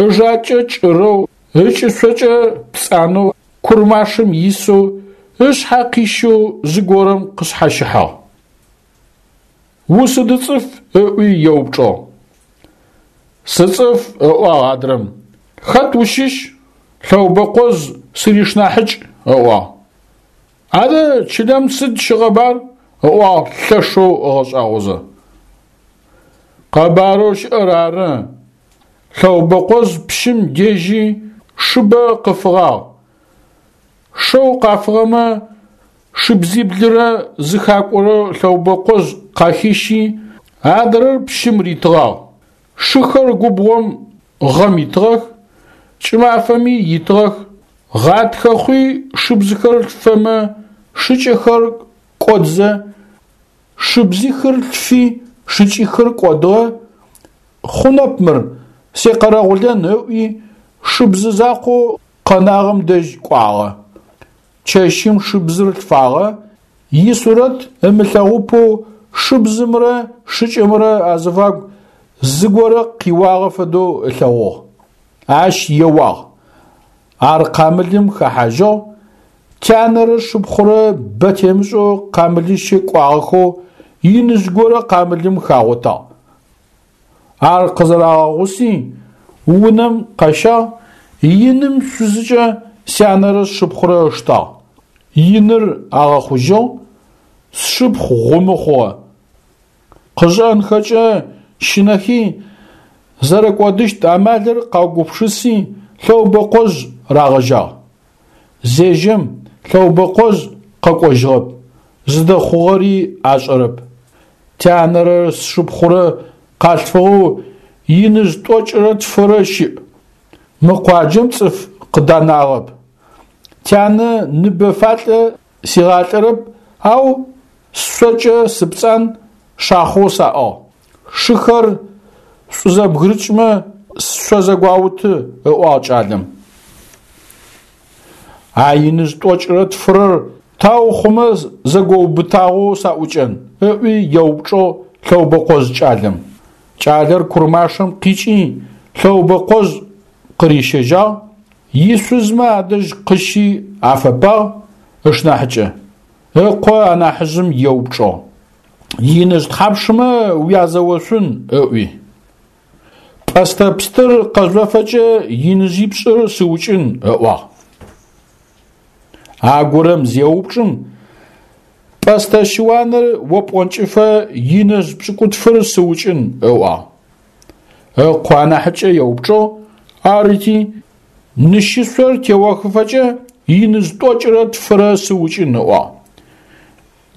ыжакӏэ кӏырэу, ыкӏышъокӏэ пцӏанэу, курмашым исэу, ышъхьэ къищэу зыгорэм къышъхьащыхьагъ. Усыды цӏыф ыӏуи еупчӏыгъ. Сыцӏыф, ыӏуагъ адрэм. Хэт ущыщ? Лъэубэкъожъ сыришнахьыкӏ, ыӏуагъ. Адэ чылэм сыд щыкъэбар? Ыӏуагъ лъэшэу ыгъэшӏагъозэ. Къэбарэу щыӏэр ары. Лъэубэкъожъ пщым дежьи шыбэ къыфыгъагъ. Шэу къафыгъэмэ шыбзиблырэ зы хакӏорэ Лъэубэкъожъ къахищи, адрэр пщым ритыгъагъ. Шыхэр губгъом гъэм итыгъэх, кӏымафэми итыгъэх. Гъатхэ хъуи шыбзыхэр лъфэмэ шыкӏэхэр кӏодзэ, шыбзихыр лъфи шыкӏихыр кӏодыгъэ. Хъунэп мыр, секъэрэгъулэн ыӏуи шыбзы закъоу къэнагъэм дэжь кӏуагъэ. Чэщым шыбзыр лъфагъэ, исурэт ымылъэгъупэу шыбзымрэ шыкӏэмрэ азыфагу зыгорэ къиуагъэ фэдэу ылъэгъугъ. Ащ еуагъ. Ар къамылым хэхьажьыгъ, тянэрэ шыпхъурэ бэ темышӏэу къамылыщэ кӏуагъэхэу иныжъ горэ къамылым хагъотагъ. Ар къызэрагъэгъуси унэм къащагъ, иным шъузыкӏэ сянэрэ сшыпхъурэ ыштагъ. Иныр агъэхъужьыгъ, сшыпхъу гъумы хъугъэ. Къышӏэнхэкӏэ щынэхи, зэрэкӏодыщт амалыр къаугупшыси Лъэубэкъожъ рагъэжьагъ. Зежьэм Лъэубэкъожъ къэкӏожьыгъэп, зыдэхъугъэри ашӏэрэп. Тянэрэ сшыпхъурэ къалъфыгъэу иныжъ тӏокӏырэ тфырэ щыӏ. Мы къуаджэм цӏыф къыданагъэп. Тянэ ныбэ фалӏэ сигъалӏэрэп, ау сшъокӏэ сыпцӏан, шахъоу саӏыгъ. Шыхэр шӏузэбгырыкӏмэ сшъо зэгуауты, ыӏуагъ кӏалэм. А иныжъ тӏокӏырэ тфырэр тау хъумэ зэгоубытагъэу саӏукӏэн, ыӏуи еупчӏыгъ Лъэубэкъожъ кӏалэм. Кӏалэр Курмашэм къикӏи Лъэубэкъожъ къырищэжьагъ, ишъузмэ адэжь къыщи афэпагъ ышнахьыкӏэ. Ыкъо анахьыжъым еупчӏыгъ: Иныжъ тхьапшымэ уязэошъун? Ыӏуи. Пӏэстэ пстыр къэжъофэкӏэ иныжъипшӏыр сыукӏын, ыӏуагъ. Агорэм зеупчӏым, пӏэстэ щыуаныр опӏонкӏыфэ иныжъ пшӏыкӏутфыр сыукӏын, ыӏуагъ. Ыкъо анахьыкӏэ еупчӏыгъ, арыти, нышышъор теохыфэкӏэ иныжъ тӏокӏырэ тфырэ сыукӏын, ыӏуагъ.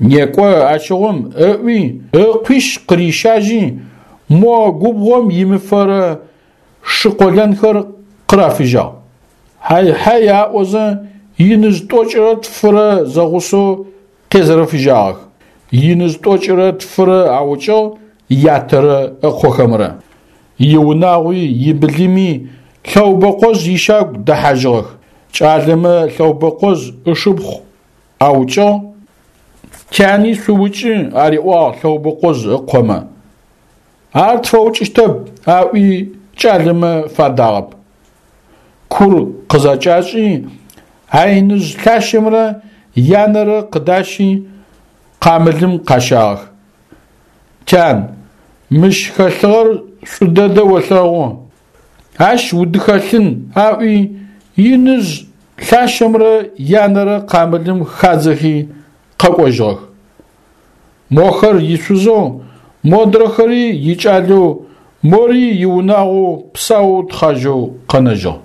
Некӏо ащыгъум ыӏуи, ыкъуищ къырищажьи, мо губгъом имыфэрэ шы къолэнхэр къырафыжьагъ. Хьай-хьай аӏозэ иныжъ тӏокӏырэ тфырэ зэгъусэу къезэрэфыжьагъэх. Иныжъ тӏокӏырэ тфырэ аукӏыгъ ятэрэ ыкъохэмрэ. Иунагъуи ибылыми Лъэубэкъожъ ищагу дэхьажьыгъэх. Кӏалэмэ Лъэубэкъожъ ышыпхъу аукӏыгъ, тяни шъуукӏы ариӏуагъ Лъэубэкъожъ ыкъомэ. Ар тфэукӏыщтэп, аӏуи кӏалэмэ фадагъэп. Кур къызэкӏашӏи, а иныжъ лъащэмрэ янэрэ къыдащи къамылым къащагъэх. Тян, мыщ хэлъыгъэр шӏу дэдэ олъэгъу. Ащ удыхэлъын, аӏуи иныжъ лъащэмрэ янэрэ къамылым хадзэхи къэкӏожьыгъэх. Мохэр ишъузэу, модрэхэри икӏалэу, мори иунагъоу псау тхъажьэу къэнэжьыгъ.